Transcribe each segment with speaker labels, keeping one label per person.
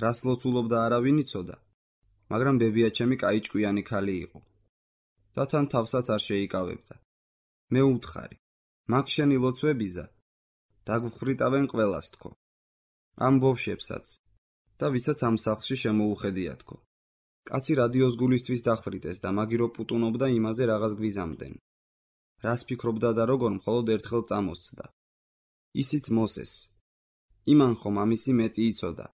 Speaker 1: რას ლოცულობდა არავინ იცოდა, მაგრამ ბებია ჩემი კაი ჭკვიანი ქალი იყო და თან თავსაც არ შეიკავებდა. მე უთხარი, მაგ შენი ლოცვებიზა, დაგვხრიტავენ ყველას თქო, ამ ბავშვებსაც და ვისაც ამ სახლში შემოუხედია თქო. კაცი რადიოს გულისთვის დახვრიტეს და მაგირო პუტუნობდა იმაზე რაღაც გვიზამდნენ. რას ფიქრობდა და როგორ მხოლოდ ერთხელ წამოსცდა. ისიც მოსეს. იმან ხომ ამისი მეტი იცოდა,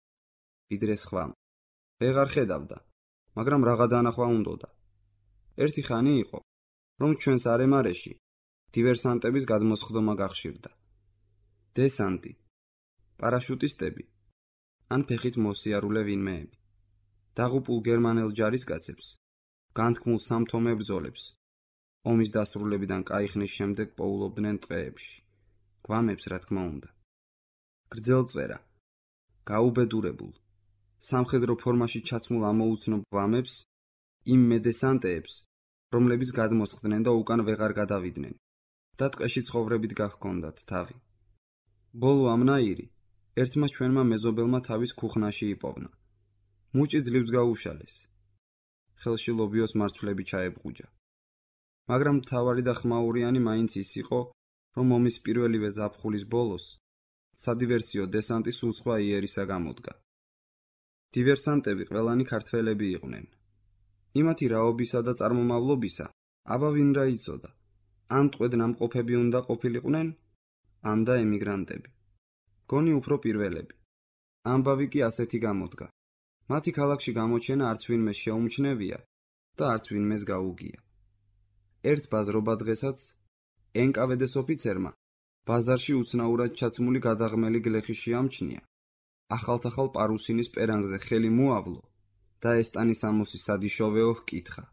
Speaker 1: ვიდრე სხვამ. ვეღარ ხედავდა, მაგრამ რაღა დანახვა უნდოდა. ერთი ხანი იყო, რომ ჩვენს არემარეში დივერსანტების გადმოსხდომა გახშირდა. დესანტი, პარაშუტისტები, ან ფეხით მოსიარულე ვინმეები. დაღუპულ გერმანელ ჯარისკაცებს, განთქმულ სამთო მებრძოლებს, ომის დასრულებიდან კაი ხნის შემდეგ პოულობდნენ ტყეებში. გვამებს, რა თქმა უნდა. გრძელწვერა, გაუბედურებულ, სამხედრო ფორმაში ჩაცმულ ამოუცნობ გვამებს, იმ მედესანტეებს, რომლებიც გადმოსხდნენ და უკან ვეღარ გადავიდნენ და ტყეში ცხოვრებით გაჰქონდათ თავი. ბოლო ამნაირი ერთმა ჩვენმა მეზობელმა თავის ქუხნაში იპოვნა. მუჭი ძლივს გაუშალეს. ხელში ლობიოს მარცვლები ჩაებღუჯა. მაგრამ მთავარი და ხმაურიანი მაინც ის იყო, რომ ომის პირველივე ზაფხულის ბოლოს სადივერსიო დესანტი სულ სხვა იერისა გამოდგა. დივერსანტები ყველანი ქართველები იყვნენ. იმათი რაობისა და წარმომავლობისა აბა ვინ რა იცოდა. ან ტყვედ ნამყოფები უნდა ყოფილიყვნენ, ან და ემიგრანტები. გონი უფრო პირველები. ამბავი კი ასეთი გამოდგა. მათი ქალაქში გამოჩენა არც ვინმეს შეუმჩნევია და არც ვინმეს გაუგია. ერთ ბაზრობა დღესაც NKVD-ს ოფიცერმა ბაზარში უცნაურად ჩაცმული გადაღმელი გლეხი შეამჩნია. ახალ პარუსინის პერანგზე ხელი მოავლო და ესტანის ამოსი სადიშოვეო ჰკითხა.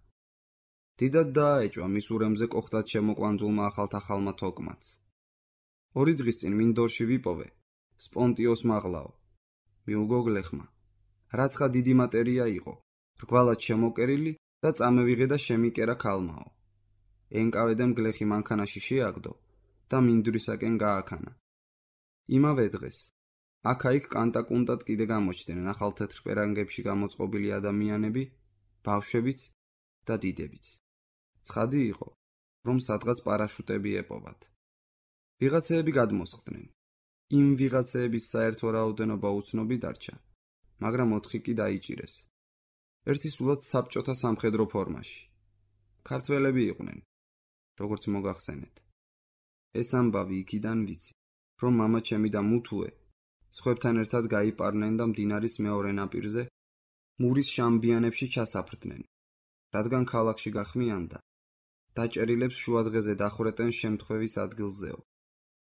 Speaker 1: დიდად დააეჭვა მის ურემზე კოხტად შემოკვანძულმა ახალ თოკმაც. 2 დღის წინ მინდორში ვიპოვე სპონტიოს მაღლაო. მიუგო გლეხმა. რაცხა დიდი მატერია იყო, რგვალად შემოკერილი და წამევიღე და შემიკერა ქალმაო. NKVD-მ გლეხი მანქანაში შეაგდო და მინდვრისაკენ გააქანა. იმავე დღეს აქა-იქ კანტაკუნტად კიდე გამოჩდნენ ახალ თეთრ პერანგებში გამოწყობილი ადამიანები, ბავშვებიც და დიდებიც. ცხადი იყო, რომ სადღაც პარაშუტები ეპოვათ. ვიღაცეები გადმოსხდნენ. იმ ვიღაცეების საერთო რაოდენობა უცნობი დარჩა, მაგრამ 4 კი დაიჭირეს. ერთი სულაც საბჭოთა სამხედრო ფორმაში. ქართველები იყვნენ, როგორც მოგახსენეთ. ეს ამბავი იქიდან ვიცი, რომ მამა ჩემი და მუთუე სხვებთან ერთად გაიპარნენ და მდინარის მეორე ნაპირზე მურის შამბიანებში ჩასაფრდნენ, რადგან ქალაქში გახმიანდა. დაჭერილებს შუადღეზე დახვრეტენ შემთხვევის ადგილზეო.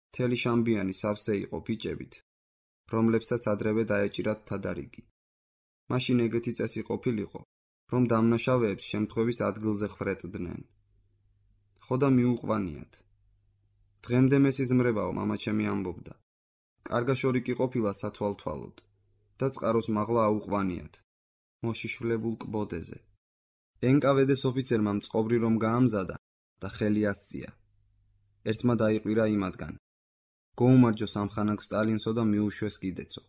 Speaker 1: მთელი შამბიანი სავსე იყო ბიჭებით, რომლებსაც ადრევე დაეჭირათ თადარიგი. მაშინ ეგეთი წესი ყოფილიყო, რომ დამნაშავეებს შემთხვევის ადგილზე ხვრეტდნენ. ხოდა მიუყვანიათ. დღემდე მესიზმრებაო, მამა ჩემი ამბობდა. კარგაშორი კი ყოფილა სათვალთვალოდ და წყაროს მაღლა აუყვანიათ. მოშიშვლებულ კბოდეზე. NKVD-ს ოფიცერმა მწყობრი რომ გაამზადა და ხელი ასწია. ერთმა დაიყვირა იმათგან. гоумარჯოს ამხანაგ სტალინსო და მიუშვეს კიდეცო.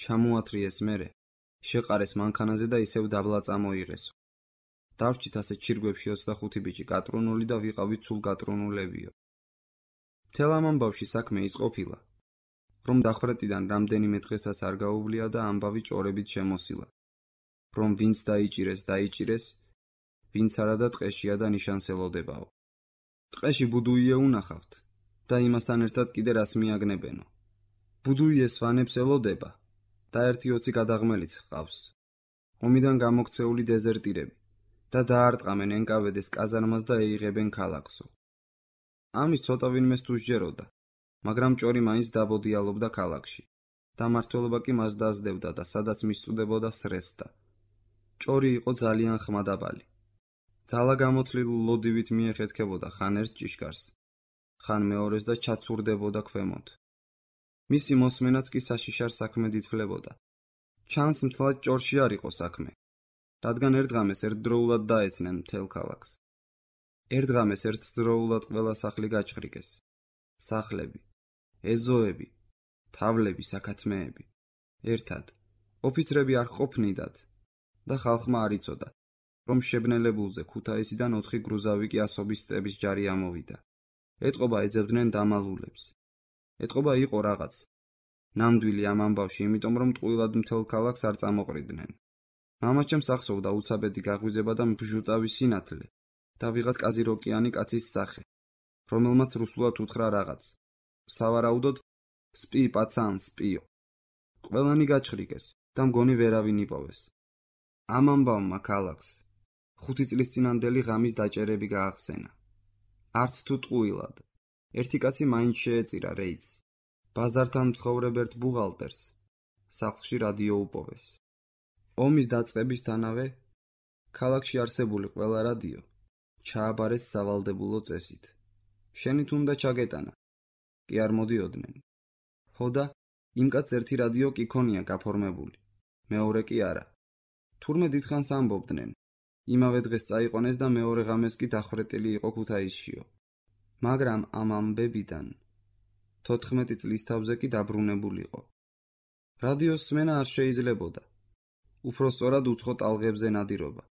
Speaker 1: ჩამოათრიეს მერე, შეყარეს მანქანაზე და ისევ დაბლა წამოიღესო. დავრჩით ასე ჩირგვებში 25 ბიჭი კატრუნული და ვიყავით სულ კატრუნულებიო. მთელ ამ ამბავში საქმე ის ყოფილა, რომ დახვრეტიდან რამდენიმე დღესაც არ გაუვლია და ამბავი ჭორებით შემოსილა. რომ ვინც დაიჭირეს, ვინც არა და ტყეშია და ნიშანსელოდებაო. ტყეში ბუდუიე უნახავთ და იმასთან ერთად კიდე რას მიაგნებენო. ბუდუიეს ვანებს ელოდება და 1-20 გადაღმელიც ჰყავს. ომიდან გამოქცეული დეზერტირები და დაარტყამენ NKVD-ს კაზარმას და ეიღებენ ქალაქსო. ამის ცოტა ვინმეს თუ სჯეროდა, მაგრამ ჭორი მაინც დაბოდიალობდა ქალაქში და მართველობა კი მას დაძდევდა და სადაც მისწუდებოდა სრესდა. ჭორი იყო ძალიან ხმადაბალი. ძალა გამოთლილ ლოდივით მიეხეთქებოდა ხან ერთ ჭიშკარს, ხან მეორეს და ჩაცურდებოდა ქვემოთ. მისი მოსმენაც კი საშიშარ საქმე დითვლებოდა. ჩანს მთლად ჭორში არ იყო საქმე, რადგან ერთდღამეს ერთდროულად დაეცნენ მთელ ქალაქს. ერთდღამეს ერთდროულად ყველა სახლი გაჭხრიკეს. სახლები, ეზოები, თავლები, საქათმეები. ერთად, ოფიცრები არ ყოფნიდათ და ხალხმა არ იცოდა, რომ შებნელებულზე ქუთაისიდან 4 გრუზავი კი ასობის სტების ჯარი ამოვიდა. ეტყობა ეძებდნენ დამალულებს. ეტყობა იყო რაღაც ნამდვილი ამ ამბავში, იმიტომ რომ ტყუილად მთელ ქალაქს არ წამოყრიდნენ. მამაჩემს ახსოვდა უცაბედი გაღვიძება და ბჟუტავის სინათლე და ვიღაც კაზიროკიანი კაცის სახე, რომელმაც რუსულად უთხრა რაღაც. სავარაუდოდ სპი პაცან სპიო. ყველანი გაჩხრიკეს და მგონი ვერავინ იპოვეს. ამ ამბავმა ქალაქს 5 წლის წინანდელი ღამის დაჭერები გაახსენა. არც თუ ტყუილად. ერთი კაცი მაინც შეეწირა რეიდს. ბაზართან მცხოვრებ ერთ ბუღალტერს სახლში რადიო უპოვეს. ომის დაწყებისთანავე ქალაქში არსებული ყველა რადიო ჩააბარეს სავალდებულო წესით. შენით უნდა ჩაგეტანა. კი არ მოდიოდნენ. ხოდა იმ კაცს ერთი რადიო კი ქონია გაფორმებული. მეორე კი არა. თურმე დიდხანს ამბობდნენ. იმავე დღეს წაიყვანეს და მეორე ღამეს კი დახვრეტილი იყო ქუთაისშიო. მაგრამ ამ ამბებიდან 14 წლის თავზე კი დაბრუნებულიყო. რადიოს სმენა არ შეიძლებოდა. უფრო სწორად უცხო ტალღებზე ნადირობა.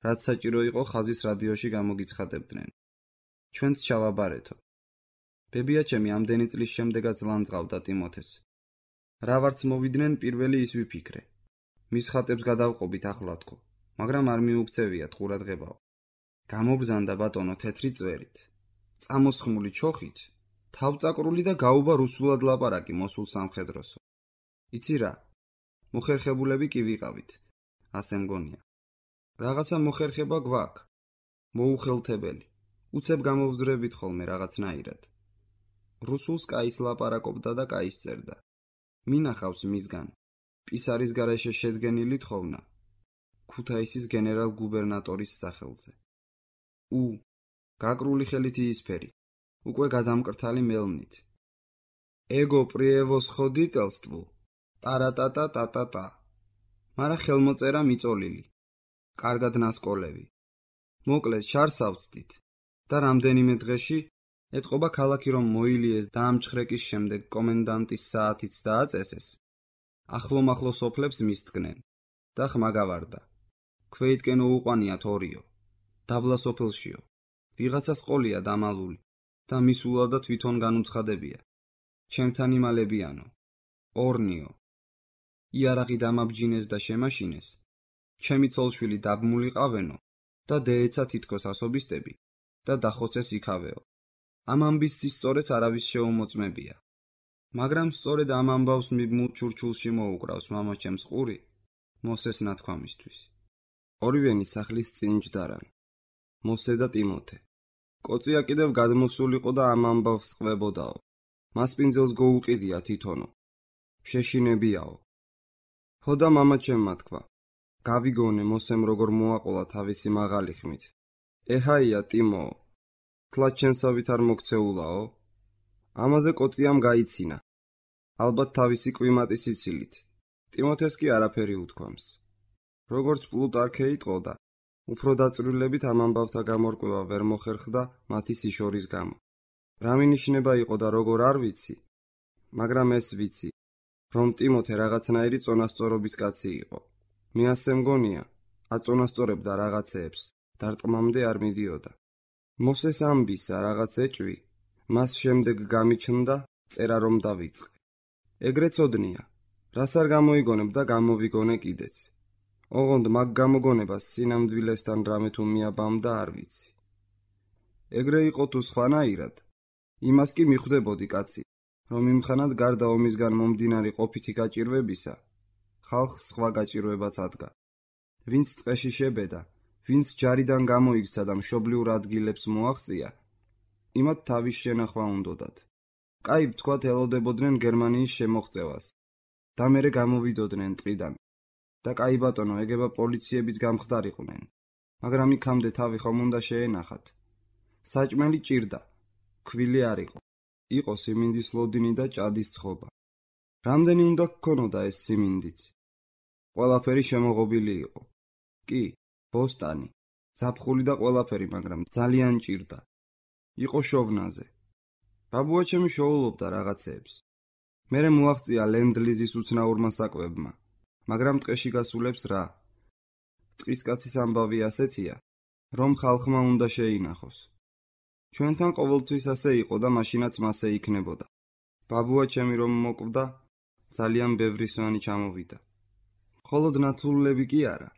Speaker 1: რაც საჭირო იყო ხაზის რადიოში გამოგიცხადებდნენ. ჩვენც ჩავაბარეთო. ბებიაჩემი ამდენი წლის შემდეგაც ლანძღავდა ტიმოთეს. რა ვარც მოვიდნენ პირველი ის ვიფიქრე. მის ხატებს გადავყობით ახლათქო, მაგრამ არ მიუქცევიათ ყურადღებაო. გამობრძანდა ბატონო თეთრი წვერით. წამოსხმული ჩოხით, თავწაკრული და გაუბა რუსულად ლაპარაკი მოსულ სამხედროსო. იცი რა? მოხერხებულები კი ვიყავით, ასე მგონია. რაღაცა მოხერხება გვაქვს. მოუხელთებელი. უცებ გამოვზრებით ხოლმე რაღაცნაირად. რუსულს კაის ლაპარაკობდა და კაის წერდა. მინახავს მისგან. პისარის გარეშე შედგენილი თხოვნა. ქუთაისის გენერალ გუბერნატორის სახელზე. გაკრული ხელით იისფერი. უკვე გადამკრთალი მელნით. ეგო პრიევოსხოდიტელსტვუ. ტარატატატატატა. მარა ხელმოწერა მიწოლილი. კარგად ნასკოლევი. მოკლეს ჩარსავწდით და რამდენიმე დღეში ეტყობა ქალაქი რომ მოილიეს და ამჩხრეკის შემდეგ კომენდანტის საათიც დააწესეს. ახლო-მახლო სოფლებს მისდგნენ და ხმა გავარდა. ქვეითკენ უუყვანიათ ორიო. დაბლა სოფელშიო. ვიღაცას ყოლია დამალული და მისულადა თვითონ განუცხადებია. ჩემთან იმალებიანო. ორნიო. იარაღი დამაბჯინეს და შემაშინეს. ჩემი ცოლშვილი დაბმულიყავენო და დეეცა თითქოს ასობისტები და დახოცეს იქავეო. ამ ამბის სწორედ არავის შეუმოწმებია. მაგრამ სწორედ ამ ამბავს მიბმულ ჩურჩულში მოუკრავს მამაჩემს ყური მოსეს ნათქვამისთვის. ორივენი სახლის წინ ჯდარან. მოსე და ტიმოთე. კოწია კიდევ გადმოსულიყო და ამ ამბავს ყვებოდაო. მასპინძელს გოუყიდია თვითონო. შეშინებიაო. ხოდა მამაჩემმა თქვა. გავიგონე მოსემ როგორ მოაყოლა თავისი მაღალი ხმით. ეჰაია ტიმოო. თლად ჩენსავით არ მოგცეულაო. ამაზე კოწიამ გაიცინა. ალბათ თავისი კვიმატის იცილით. ტიმოთეს კი არაფერი უთქვამს. როგორც პლუტარქე იტყოდა, უფრო დაწვრილებით ამ ამბავთა გამორკვევა ვერ მოხერხდა მათი სიშორის გამო. რა მინიშნება იყო და როგორ არ ვიცი, მაგრამ ეს ვიცი, რომ ტიმოთე რაღაცნაირი წონასწორობის კაცი იყო. მე ასე მგონია, აწონასწორებდა რაღაცეებს, დარტყმამდე არ მიდიოდა. მოსეს ამბისა რაღაც ეჭვი, მას შემდეგ გამიჩნდა წერა რომ დავიწყე. ეგრე წოდნია, რას არ გამოიგონებ და გამოვიგონე კიდეც. ოღონდ მაგ გამოგონებას სინამდვილესთან რამე თუ მიაბამდა არ ვიცი. ეგრე იყო თუ სხვანაირად, იმას კი მიხვდებოდი კაცი, რომ იმხანად გარდა ომისგან მომდინარე ყოფითი გაჭირვებისა, ხალხს სხვა გაჭირვებაც ადგა. ვინც ტყეში შებედა, ვინც ჯარიდან გამოიქცა და მშობლიურ ადგილებს მოაღწია, იმათ თავის შენახვა უნდოდათ. კაი ვთქვათ ელოდებოდნენ გერმანიის შემოღწევას და მერე გამოვიდოდნენ ტყიდან. და კაი ბატონო ეგება პოლიციების გამხდარიყვნენ, მაგრამ იქამდე თავი ხომ უნდა შეენახათ. საჭმელი ჭირდა, ქვილი არ იყო. იყო სიმინდის ლოდინი და ჭადის ცხობა. რამდენი უნდა გქონოდა ეს სიმინდიც? ყველაფერი შემოღობილი იყო. კი, ბოსტანი, ზაფხული და ყველაფერი, მაგრამ ძალიან ჭირდა. იყო შოვნაზე. ბაბუაჩემი შოულობდა რაღაცეებს. მერე მოაღწია ლენდლიზის უცნაურმა საკვებმა. მაგრამ ტყეში გასულებს რა? ტყისკაცის ამბავი ასეთია, რომ ხალხმა უნდა შეინახოს. ჩვენთან ყოველთვის ასე იყო და მაშინაც მასე იქნებოდა. ბაბუა ჩემი რომ მოკვდა, ძალიან ბევრი სვანი ჩამოვიდა. მხოლოდ ნათლულები კი არა.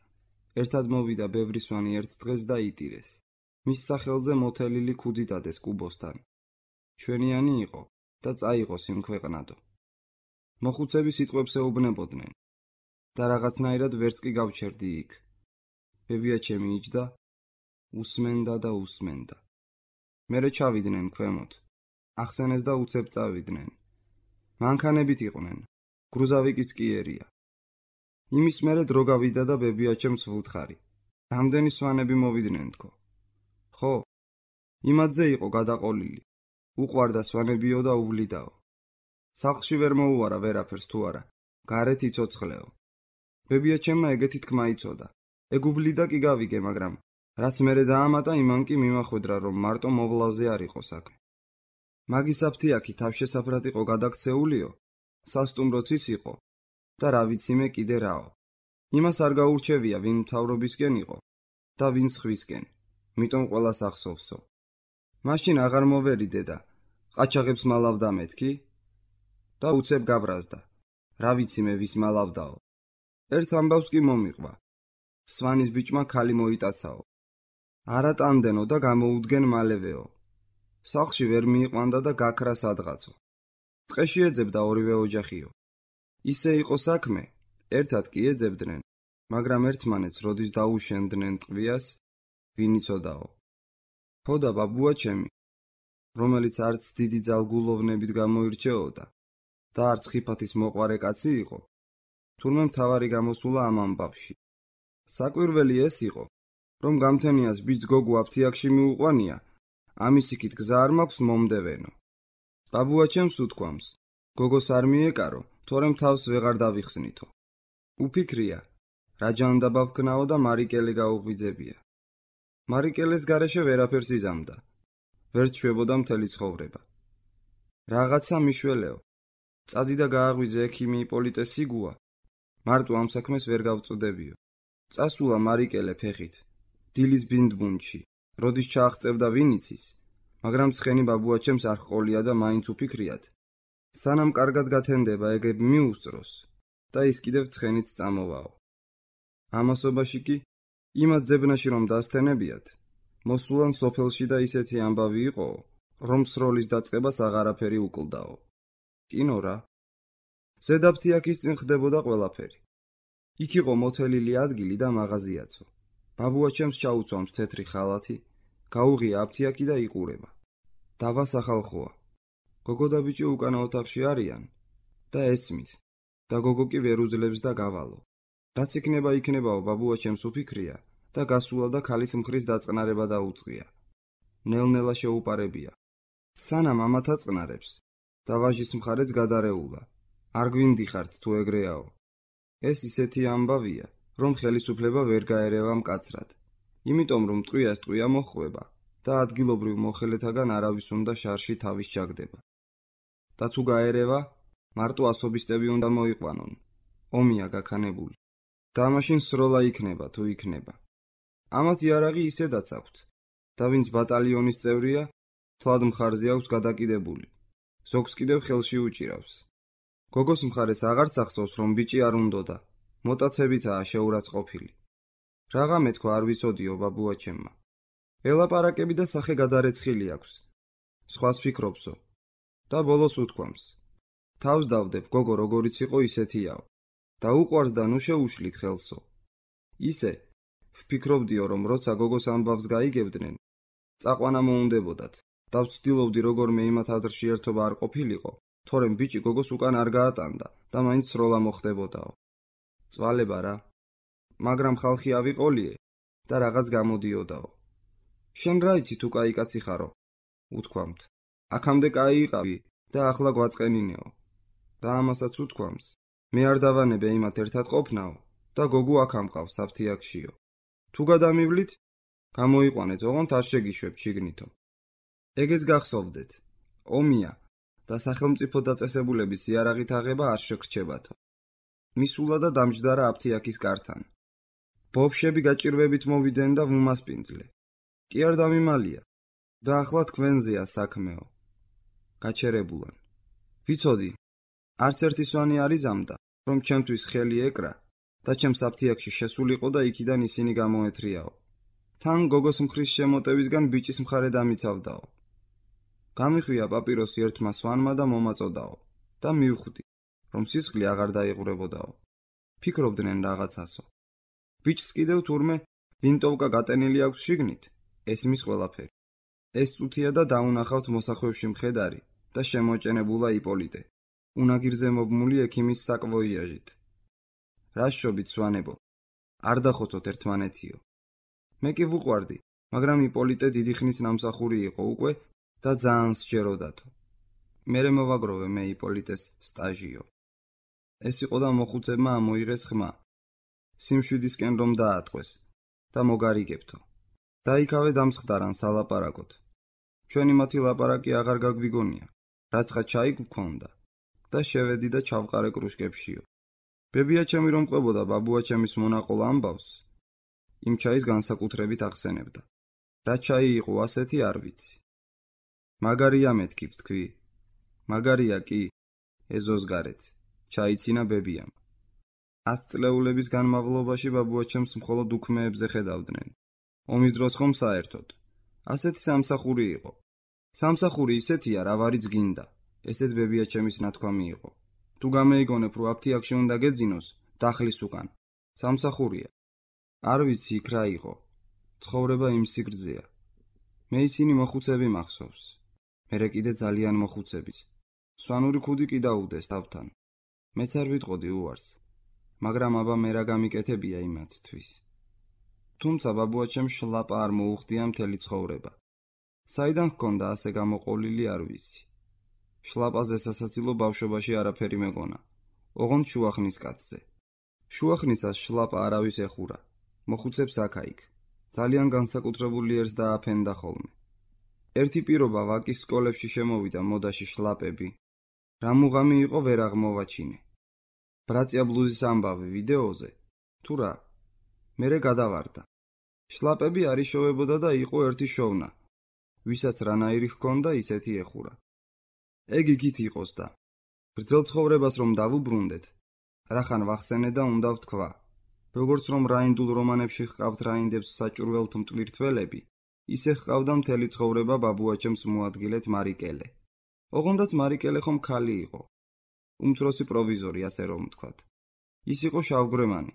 Speaker 1: ერთად მოვიდა ბევრი სვანი ერთ დღეს და იტირეს. მის სახელზე მოთელილი ქუდი დადეს კუბოსთან. ჩვენიანი იყო და წაიღო სიმქვეყნადო. მოხუცები სიტყვებს ეუბნებოდნენ და რაღაცნაირად ვერც კი გავჩერდი იქ. ბებია ჩემი იჯდა, უსმენდა და უსმენდა. მერე ჩავიდნენ ქვემოთ. ახსენეს და უცებ წავიდნენ. მანქანებით იყვნენ. გრუზავი კი სკიერია. იმის მერე დრო გავიდა და ბებია ჩემს ვუთხარი. რამდენი სვანები მოვიდნენ თქო. ხო, იმადზე იყო გადაყოლილი. უყვარდა სვანებიო და უვლიდაო. სახლში ვერ მოუარა ვერაფერს თუ არა. გარეთ იცოცხლეო. ბებია ჩემმა ეგეთი თქმა იცოდა. ეგ უვლიდა კი გავიგე, მაგრამ რაც მერე დაამატა, იმან კი მიმახვედრა, რომ მარტო მოვლაზე არ იყო საქმე. მაგის აფთიაქი თავშესაფრად იყო გადაქცეულიო, სასტუმროც ის იყო და რა ვიცი მე კიდე რაო. იმას არ გაურჩევია, ვინ მთავრობისკენ იყო და ვინ სხვისკენ, მიტომ ყველას ახსოვსო. მაშინ აღარ მოვერიდე და ყაჩაღებს მალავდა მეთქი და უცებ გაბრაზდა. რა ვიცი მე ვის მალავდაო. ერთ ამბავს კი მომიყვა. სვანის ბიჭმა ქალი მოიტაცაო. არა ტანდენო და გამოუდგენ მალევეო. სახლში ვერ მიიყვანდა და გაქრა სადღაცო. ტყეში ეძებდა ორივე ოჯახიო. ისე იყო საქმე, ერთად კი ეძებდნენ, მაგრამ ერთმანეთს როდის დაუშენდნენ ტყვიას, ვინ იცოდაო. ხოდა ბაბუა ჩემი, რომელიც არც დიდი ძალგულოვნებით გამოირჩეოდა და არც ხიფათის მოყვარე კაცი იყო, თურმე მთავარი გამოსულა ამ ამბავში. საკვირველი ეს იყო, რომ გამთენიას ბიჭს გოგო აფთიაქში მიუყვანია, ამის იქით გზა არ მაქვს მომდევენო. ბაბუა ჩემს უთქვამს, გოგოს არ მიეკარო, თორემ თავს ვეღარ დავიხსნითო. უფიქრია, რა ჯანდაბა ვქნაო და მარიკელე გაუღვიძებია. მარიკელეს გარეშე ვერაფერს იზამდა. ვერ ჩვებოდა მთელი ცხოვრება. რაღაცა მიშველეო. წადი და გააღვიძე ექიმი იპოლიტე სიგუა. მარტო ამ საქმეს ვერ გავწუდებიო. წასულა მარიკელე ფეხით. დილის ბინდბუნჩი, როდის ჩააღწევდა ვინ იცის, მაგრამ ცხენი ბაბუა ჩემს არ ჰყოლია და მაინც უფიქრიათ. სანამ კარგად გათენდება ეგებ მიუსწროს და ის კიდევ ცხენით წამოვაო. ამასობაში კი იმათ ძებნაში რომ დასთენებიათ, მოსულან სოფელში და ისეთი ამბავი იყო, რომ სროლის დაწყებას აღარაფერი უკლდაო. კინო რა. ზედაფთიაქის წინ ხდებოდა ყველაფერი. იქ იყო მოთელილი ადგილი და მაღაზიაცო. ბაბუა ჩემს ჩაუწვამს თეთრი ხალათი, გაუღია აფთიაქი და იყურება. დავასახალხოა. გოგო და ბიჭი უკანა ოთახში არიან და ესმით და გოგო კი ვერ უძლებს და გავალო. რაც იქნება იქნებაო, ბაბუა ჩემს უფიქრია და გასულა და ქალის მხრის დაწყნარება დაუწყია. ნელ-ნელა შეუპარებია. სანამ ამათ აწყნარებს და ვაჟის მხარეც გადარეულა. არ გვინდიხართ თუ ეგრეაო. ეს ისეთი ამბავია, რომ ხელისუფლება ვერ გაერევა მკაცრად. იმიტომ რომ ტყვიას ტყვია მოხვება და ადგილობრივ მოხელეთაგან არავის უნდა შარში თავის ჩაგდება. და თუ გაერევა, მარტო ასობისტები უნდა მოიყვანონ. ომია გაქანებული. და მაშინ სროლა იქნება თუ იქნება. ამათ იარაღი ისედაც აქვთ. და ვინც ბატალიონის წევრია, თლად მხარზე აქვს გადაკიდებული. ზოგს კიდევ ხელში უჭირავს. გოგოს მხარეს აღარც ახსოვს, რომ ბიჭი არ უნდოდა. მოტაცებითაა შეურაცხყოფილი. რაღა მეთქვა არ ვიცოდიო ბაბუა ჩემმა. ელაპარაკები და სახე გადარეცხილი აქვს. სხვას ფიქრობსო. და ბოლოს უთქვამს. თავს დავდებ, გოგო როგორიც იყო ისეთიაო. და უყვარს და ნუ შეუშლით ხელსო. ისე ვფიქრობდიო, რომ როცა გოგოს ამბავს გაიგებდნენ, წაყვანა მოუნდებოდათ. და ვცდილობდი როგორმე იმათ აზრში ერთობა არ ყოფილიყო, თორემ ბიჭი გოგოს უკან არ გაატანდა და მაინც სროლა მოხდებოდაო. წვალება რა. მაგრამ ხალხი ავიყოლიე და რაღაც გამოდიოდაო. შენ რა იცი თუ კაი კაცი ხარო? უთქვამთ. აქამდე კაი იყავი და ახლა გვაწყენინეო. და ამასაც უთქვამს. მე არ დავანებე იმათ ერთად ყოფნაო და გოგო აქ ამყავს აფთიაქშიო. თუ გადამივლით, გამოიყვანეთ, ოღონდ არ შეგიშვებ შიგნითო. ეგეც გახსოვდეთ. ომია და სახელმწიფო დაწესებულების იარაღით აღება არ შეგრჩებათო. მისულა და დამჯდარა აფთიაქის კართან. ბავშვები გაჭირვებით მოვიდნენ და ვუმასპინძლე. კი არ დამიმალია და ახლა თქვენზეა საქმეო. გაჩერებულან. ვიცოდი, არც ერთი სვანი არ იზამდა, რომ ჩემთვის ხელი ეკრა და ჩემს აფთიაქში შესულიყო და იქიდან ისინი გამოეთრიაო. თან გოგოს მხრის შემოტევისგან ბიჭის მხარე დამიცავდაო. გამიხვია პაპიროსი ერთმა სვანმა და მომაწოდაო და მივხვდი, რომ სისხლი აღარ დაიღურებოდაო. ფიქრობდნენ რაღაცასო. ბიჭს კიდევ თურმე ვინტოვკა გატენილი აქვს შიგნით, ესმის ყველაფერი. ეს წუთია და დაუნახავთ მოსახვევში მხედარი და შემოჭენებულა იპოლიტე, უნაგირზე მობმული ექიმის საკვოიაჟით. რა შობით სვანებო, არ დახოცოთ ერთმანეთიო. მე კი ვუყვარდი, მაგრამ იპოლიტე დიდი ხნის ნამსახური იყო უკვე და ძალიან სჯეროდათო. მერე მოვაგროვე მე იპოლიტეს სტაჟიო. ეს იყო და მოხუცებმა ამოიღეს ხმა. სიმშვიდისკენ რომ დაატყვეს და მოგარიგებთო. დაიქავე დამსხდარან სალაპარაკოთ. ჩვენი მათი ლაპარაკი აღარ გაგვიგონია, რაცხა ჩაი გვქონდა და შევედი და ჩავყარე კრუშკებშიო. ბებია ჩემი რომ ყვებოდა ბაბუა ჩემის მონაყოლ ამბავს, იმ ჩაის განსაკუთრებით ახსენებდა. რა ჩაი იყო ასეთი არ ვიცი. მაგარია მეთქი ვთქვი. მაგარია კი, ეზოსგარეთ, ჩაიცინა ბებიამ. 10 წლეულების განმავლობაში ბაბუა ჩემს მხოლოდ უქმეებზე ხედავდნენ. ომის დროს ხომ საერთოდ. ასეთი სამსახური იყო. სამსახური ისეთია, რა ვარიც გინდა. ესეთ ბებია ჩემის ნათქვამი იყო. თუ გამეიგონებ, რომ აფთიაქში უნდა გეძინოს, დახლის უკან. სამსახურია. არ ვიცი იქ რა იყო. ცხოვრება იმ სიგრძეა. მე ისინი მოხუცები მახსოვს. მერე კიდე ძალიან მოხუცებიც. სვანური ქუდი კი დაუდეს თავთან. მეც არ ვიტყოდი უარს. მაგრამ აბა მე რა გამიკეთებია იმათთვის. თუმცა ბაბუა ჩემს შლაპა არ მოუხდია მთელი ცხოვრება. საიდან ჰქონდა ასე გამოყოლილი არ ვიცი. შლაპაზე სასაცილო ბავშვობაში არაფერი მეგონა. ოღონდ შუახნის კაცზე. შუახნისას შლაპა არავის ეხურა. მოხუცებს აქა-იქ. ძალიან განსაკუთრებული ერს დააფენდა ხოლმე. ერთი პირობა ვაკის სკოლებში შემოვიდა მოდაში შლაპები. რა მუღამი იყო ვერ აღმოვაჩინე. ბრატია ბლუზის ამბავი ვიდეოზე. თუ რა? მერე გადავარდა. შლაპები არ იშოვებოდა და იყო ერთი შოვნა. ვისაც რანაირი ჰქონდა ისეთი ეხურა. ეგ იგით იყოს და. ბრძელ ცხოვრებას რომ დავუბრუნდეთ, რახან ვახსენე და უნდა ვთქვა. როგორც რომ რაინდულ რომანებში ჰყავთ რაინდებს საჭურველთ მტვირთველები, ისე ჰყავდა მთელი ცხოვრება ბაბუა ჩემს მოადგილეთ მარიკელე. ოღონდაც მარიკელე ხომ ქალი იყო. უმცროსი პროვიზორი, ასე რომ ვთქვათ. ის იყო შავგრემანი,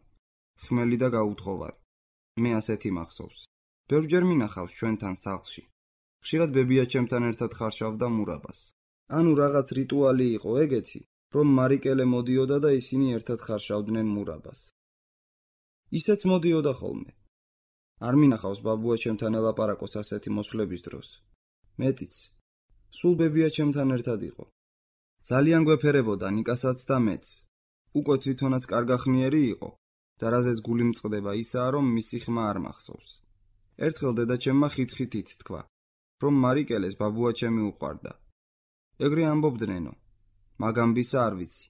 Speaker 1: ხმელი და გაუთხოვარი. მე ასეთი მახსოვს. ბევრჯერ მინახავს ჩვენთან სახლში. ხშირად ბებია ჩემთან ერთად ხარშავდა მურაბას. ანუ რაღაც რიტუალი იყო ეგეთი, რომ მარიკელე მოდიოდა და ისინი ერთად ხარშავდნენ მურაბას. ისეც მოდიოდა ხოლმე. არ მინახავს ბაბუა ჩემთან ელაპარაკოს ასეთი მოსვლების დროს. მეტიც, სულ ბებია ჩემთან ერთად იყო. ძალიან გვეფერებოდა ნიკასაც და მეც. უკვე თვითონაც კარგახნიერი იყო და რაზეც გული მწყდება ისაა, რომ მისი ხმა არ მახსოვს. ერთხელ დედაჩემმა ხით-ხითით თქვა, რომ მარიკელეს ბაბუა ჩემი უყვარდა. ეგრე ამბობდნენო, მაგამბისა არ ვიცი.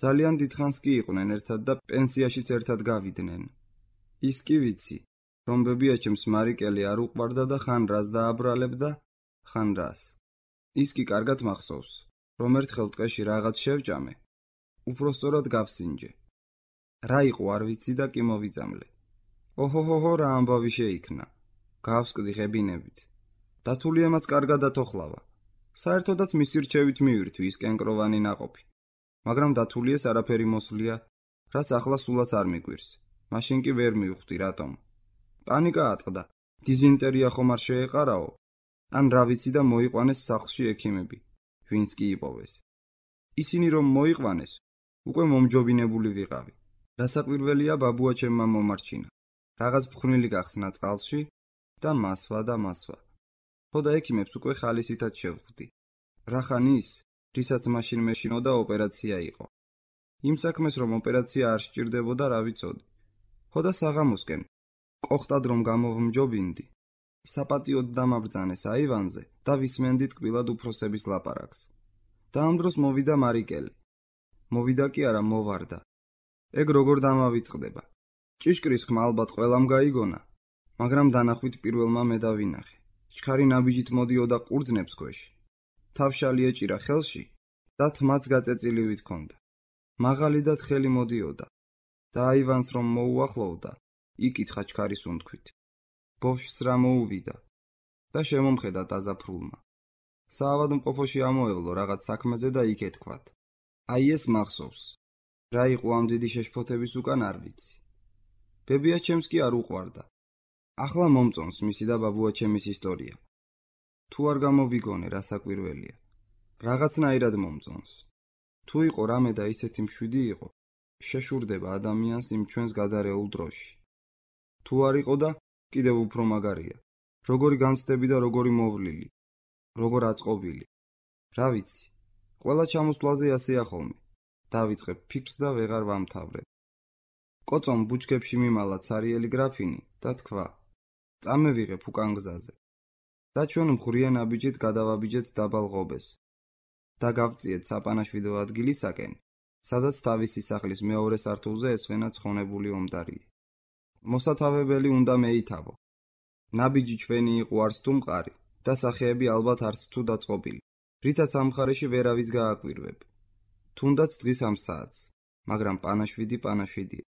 Speaker 1: ძალიან დიდხანს კი იყვნენ ერთად და პენსიაშიც ერთად გავიდნენ. ის კი ვიცი, რომ ბებია ჩემს მარიკელი არ უყვარდა და ხან რას დააბრალებდა, ხან რას. ის კი კარგად მახსოვს, რომ ერთხელ ტყეში რაღაც შევჭამე, უпроსწორად გავსინჯე. რა იყო არ ვიცი და კი მოვიწამლე. ოჰოჰოჰო რა ამბავი შეიქნა. გავსკდი ღებინებით. დათულიემაც კარგად ათოხლავა. საერთოდაც მისი რჩევით მივირთვი ის კენკროვანი ნაყოფი. მაგრამ დათულიეს არაფერი მოსვლია, რაც ახლა სულაც არ მიგვირს. მაშინ კი ვერ მივხვდი რატომ. პანიკა ატყდა. დიზინტერია ხომ არ შეეყარაო? ან რა ვიცი და მოიყვანეს სახლში ექიმები, ვინც კი იპოვეს. ისინი რომ მოიყვანეს, უკვე მომჯობინებული ვიყავი. რასაკვირველია ბაბუა ჩემმა მომარჩინა. რაღაც ფხვნილი გახსნა წყალში და მასვა. ხო და ექიმებს უკვე ხალისითაც შევხვდი. რახან ის, რისაც მაშინ მეშინოდა ოპერაცია იყო. იმ საქმეს რომ ოპერაცია არ სჭირდებოდა რა ვიცოდი. ხო და საღამოსკენ, კოხტად რომ გამოვმჯობინდი, საპატიოდ დამაბრძანეს აივანზე და ვისმენდით კბილად უფროსების ლაპარაკს. და ამ დროს მოვიდა მარიკელი. მოვიდა კი არა მოვარდა. ეგ როგორ დამავიწყდება? ჭიშკრის ხმა ალბათ ყველამ გაიგონა, მაგრამ დანახვით პირველმა მე დავინახე. ჩქარი ნაბიჯით მოდიოდა ყურძნებს ქვეშ. თავშალი ეჭირა ხელში და თმაც გაწეწილივით ჰქონდა. მაღალი და თხელი მოდიოდა და აივანს რომ მოუახლოვდა, იკითხა ჩქარის უნთქვით. ბოშს რა მოუვიდა და შემომხედა დაზაფრულმა. საავადმყოფოში ამოევლო რაღაც საქმეზე და იქ ეთქვათ. აი ეს მახსოვს. რა იყო ამ დიდი შეშფოთების უკან არ ვიცი. ბებიაჩემს კი არ უყვარდა. ახლა მომწონს მისი და ბაბუაჩემის ისტორია. თუ არ გამოვიგონე რა საკვირველია. რაღაცნაირად მომწონს. თუ იყო რამე და ისეთი მშვიდი იყო, შეშურდება ადამიანს იმ ჩვენს გადარეულ დროში. თუ არ იყო და კიდევ უფრო მაგარია. როგორი განცდები და როგორი მოვლილი. როგორ აწყობილი. რა ვიცი. ყველა ჩამოსვლაზე ასეა ხოლმე. დავიწყებ ფიქრს და ვეღარ ვამთავრებ. კოწომ ბუჩქებში მიმალა ცარიელი გრაფინი და თქვა: წამევიღებ უკან გზაზე. და ჩვენ მღვრიან აბიჯით გადავაბიჯეთ დაბალ ღობეს და გავწიეთ საპანაშვიდო ადგილისაკენ, სადაც თავისი სახლის მეორე სართულზე ესვენა ცხონებული ომდარია. მოსათავებელი უნდა მეითავო. ნაბიჯი ჩვენი იყო არც თუ მყარი და სახეები ალბათ არც თუ დაწყობილი, რითაც ამ მხარეში ვერავის გააკვირვებ. თუნდაც დღის ამ საათს, მაგრამ პანაშვიდია.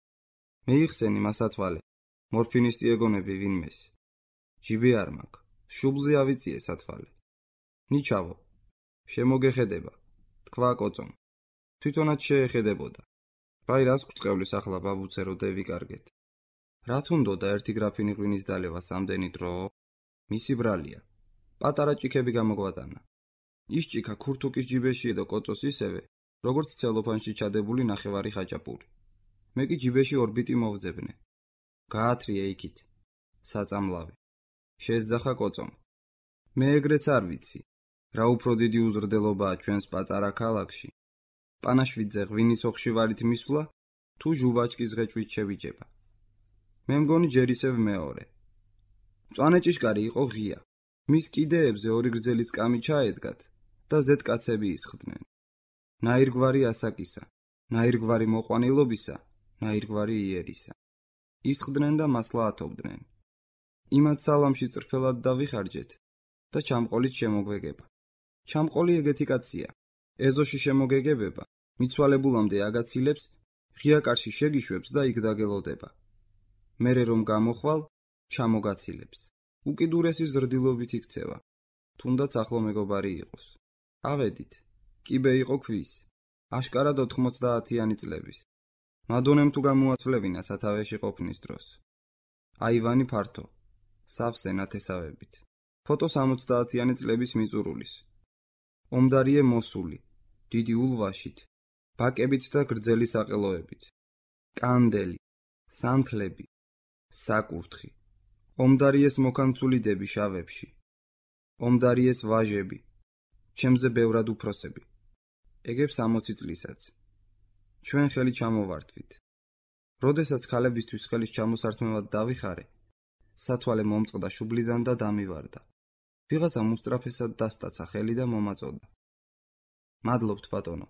Speaker 1: მეიხსენი მასათვალე, მორფინისტი ეგონები ვინმეს. ჯიბი არ მაქვს, შუბლზე ავიწიე სათვალე. ნიჩავო, შემოგეხედება, თქვა კოწომ. თვითონაც შეეხედებოდა. ვაი რას გვწყევლის ახლა ბაბუცე რო დევიკარგეთ. რა თუნდოდა ერთი გრაფინი ღვინის დალევას ამდენი დრო? მისი ბრალია. პატარა ჭიქები გამოგვატანა. ის ჭიქა ქურთუკის ჯიბეში და კოწოს ისევე, როგორც ცელოფანში ჩადებული ნახევარი ხაჭაპური. მე კი ჯიბეში ორბიტი მოვძებნე. გაათრიე იქით. საწამლავი. შესძახა კოწომ. მე ეგრეც არ ვიცი. რა უფრო დიდი უზრდელობაა ჩვენს პატარა ქალაქში. პანაშვიდზე ღვინის ოხშივარით მისვლა, თუ ჟუვაჭკის ღეჭვით შევიჯება. მე მგონი ჯერ ისევ მეორე. მწვანე ჭიშკარი იყო ღია. მის კიდეებზე ორი გრძელი სკამი ჩაედგათ და ზედკაცები ისხდნენ. ნაირგვარი ასაკისა, ნაირგვარი მოყვანილობისა, ნაირგვარი იერისა. ისხდნენ და მასლა ათობდნენ. იმათ სალამში წრფელად დავიხარჯეთ და ჩამყოლით შემოგვეგება. ჩამყოლი ეგეთი კაცია. ეზოში შემოგეგებება, მიცვალებულამდე აგაცილებს, ღია კარში შეგიშვებს და იქ დაგელოდება. მერე რომ გამოხვალ, ჩამოგაცილებს. უკიდურესი ზრდილობით იქცევა. თუნდაც ახლო მეგობარი იყოს. ავედით. კიბე იყო ქვის. აშკარად 90-იანი წლების. მადონემ თუ გამოაცვლევინა სათავეში ყოფნის დროს. აივანი ფართო. სავსე ნათესავებით. ფოტო 70-იანი წლების მიწურულის. ომდარიე მოსული. დიდი ულვაშით. ბაკებით და გრძელი საყელოებით. კანდელი. სანთლები. საკურთხი. ომდარიეს მოკანცული დები შავებში. ომდარიეს ვაჟები. ჩემზე ბევრად უფროსები. ეგებ 60 წლისაც. ჩვენ ხელი ჩამოვართვით. როდესაც ქალებისთვის ხელის ჩამოსართმევად დავიხარე, სათვალე მომწყდა შუბლიდან და დამივარდა. ვიღაცა მუსტრაფესად დასტაცა ხელი და მომაწოდა. მადლობთ ბატონო.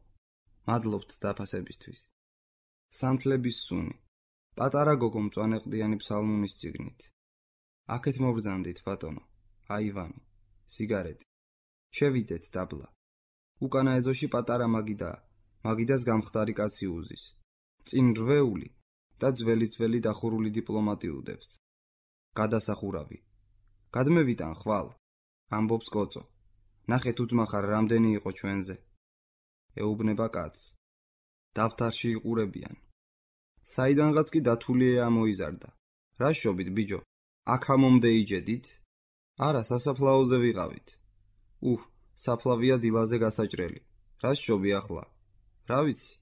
Speaker 1: მადლობთ დაფასებისთვის. სანთლების სუნი. პატარა გოგო მწვანეყდიანი ფსალმუნის წიგნით. აქეთ მობრძანდით ბატონო. აივანი. სიგარეტი. შევიდეთ დაბლა. უკანა ეზოში პატარა მაგიდაა. მაგიდას გამხდარი კაცი უზის. წინ რვეული და ძველი დახურული დიპლომატი უდევს. გადასახურავი. გადმევიტან ხვალ. ამბობს კოწო. ნახეთ უძმახარ რამდენი იყო ჩვენზე. ეუბნება კაცს. დავთარში იყურებიან. საიდანღაც კი დათულია ამოიზარდა. რა შობით ბიჯო? აქ ამომდე იჯედით? არა, სასაფლაოზე ვიყავით. საფლავია დილაზე გასაჭრელი. რა შობი ახლა? რა ვიცი?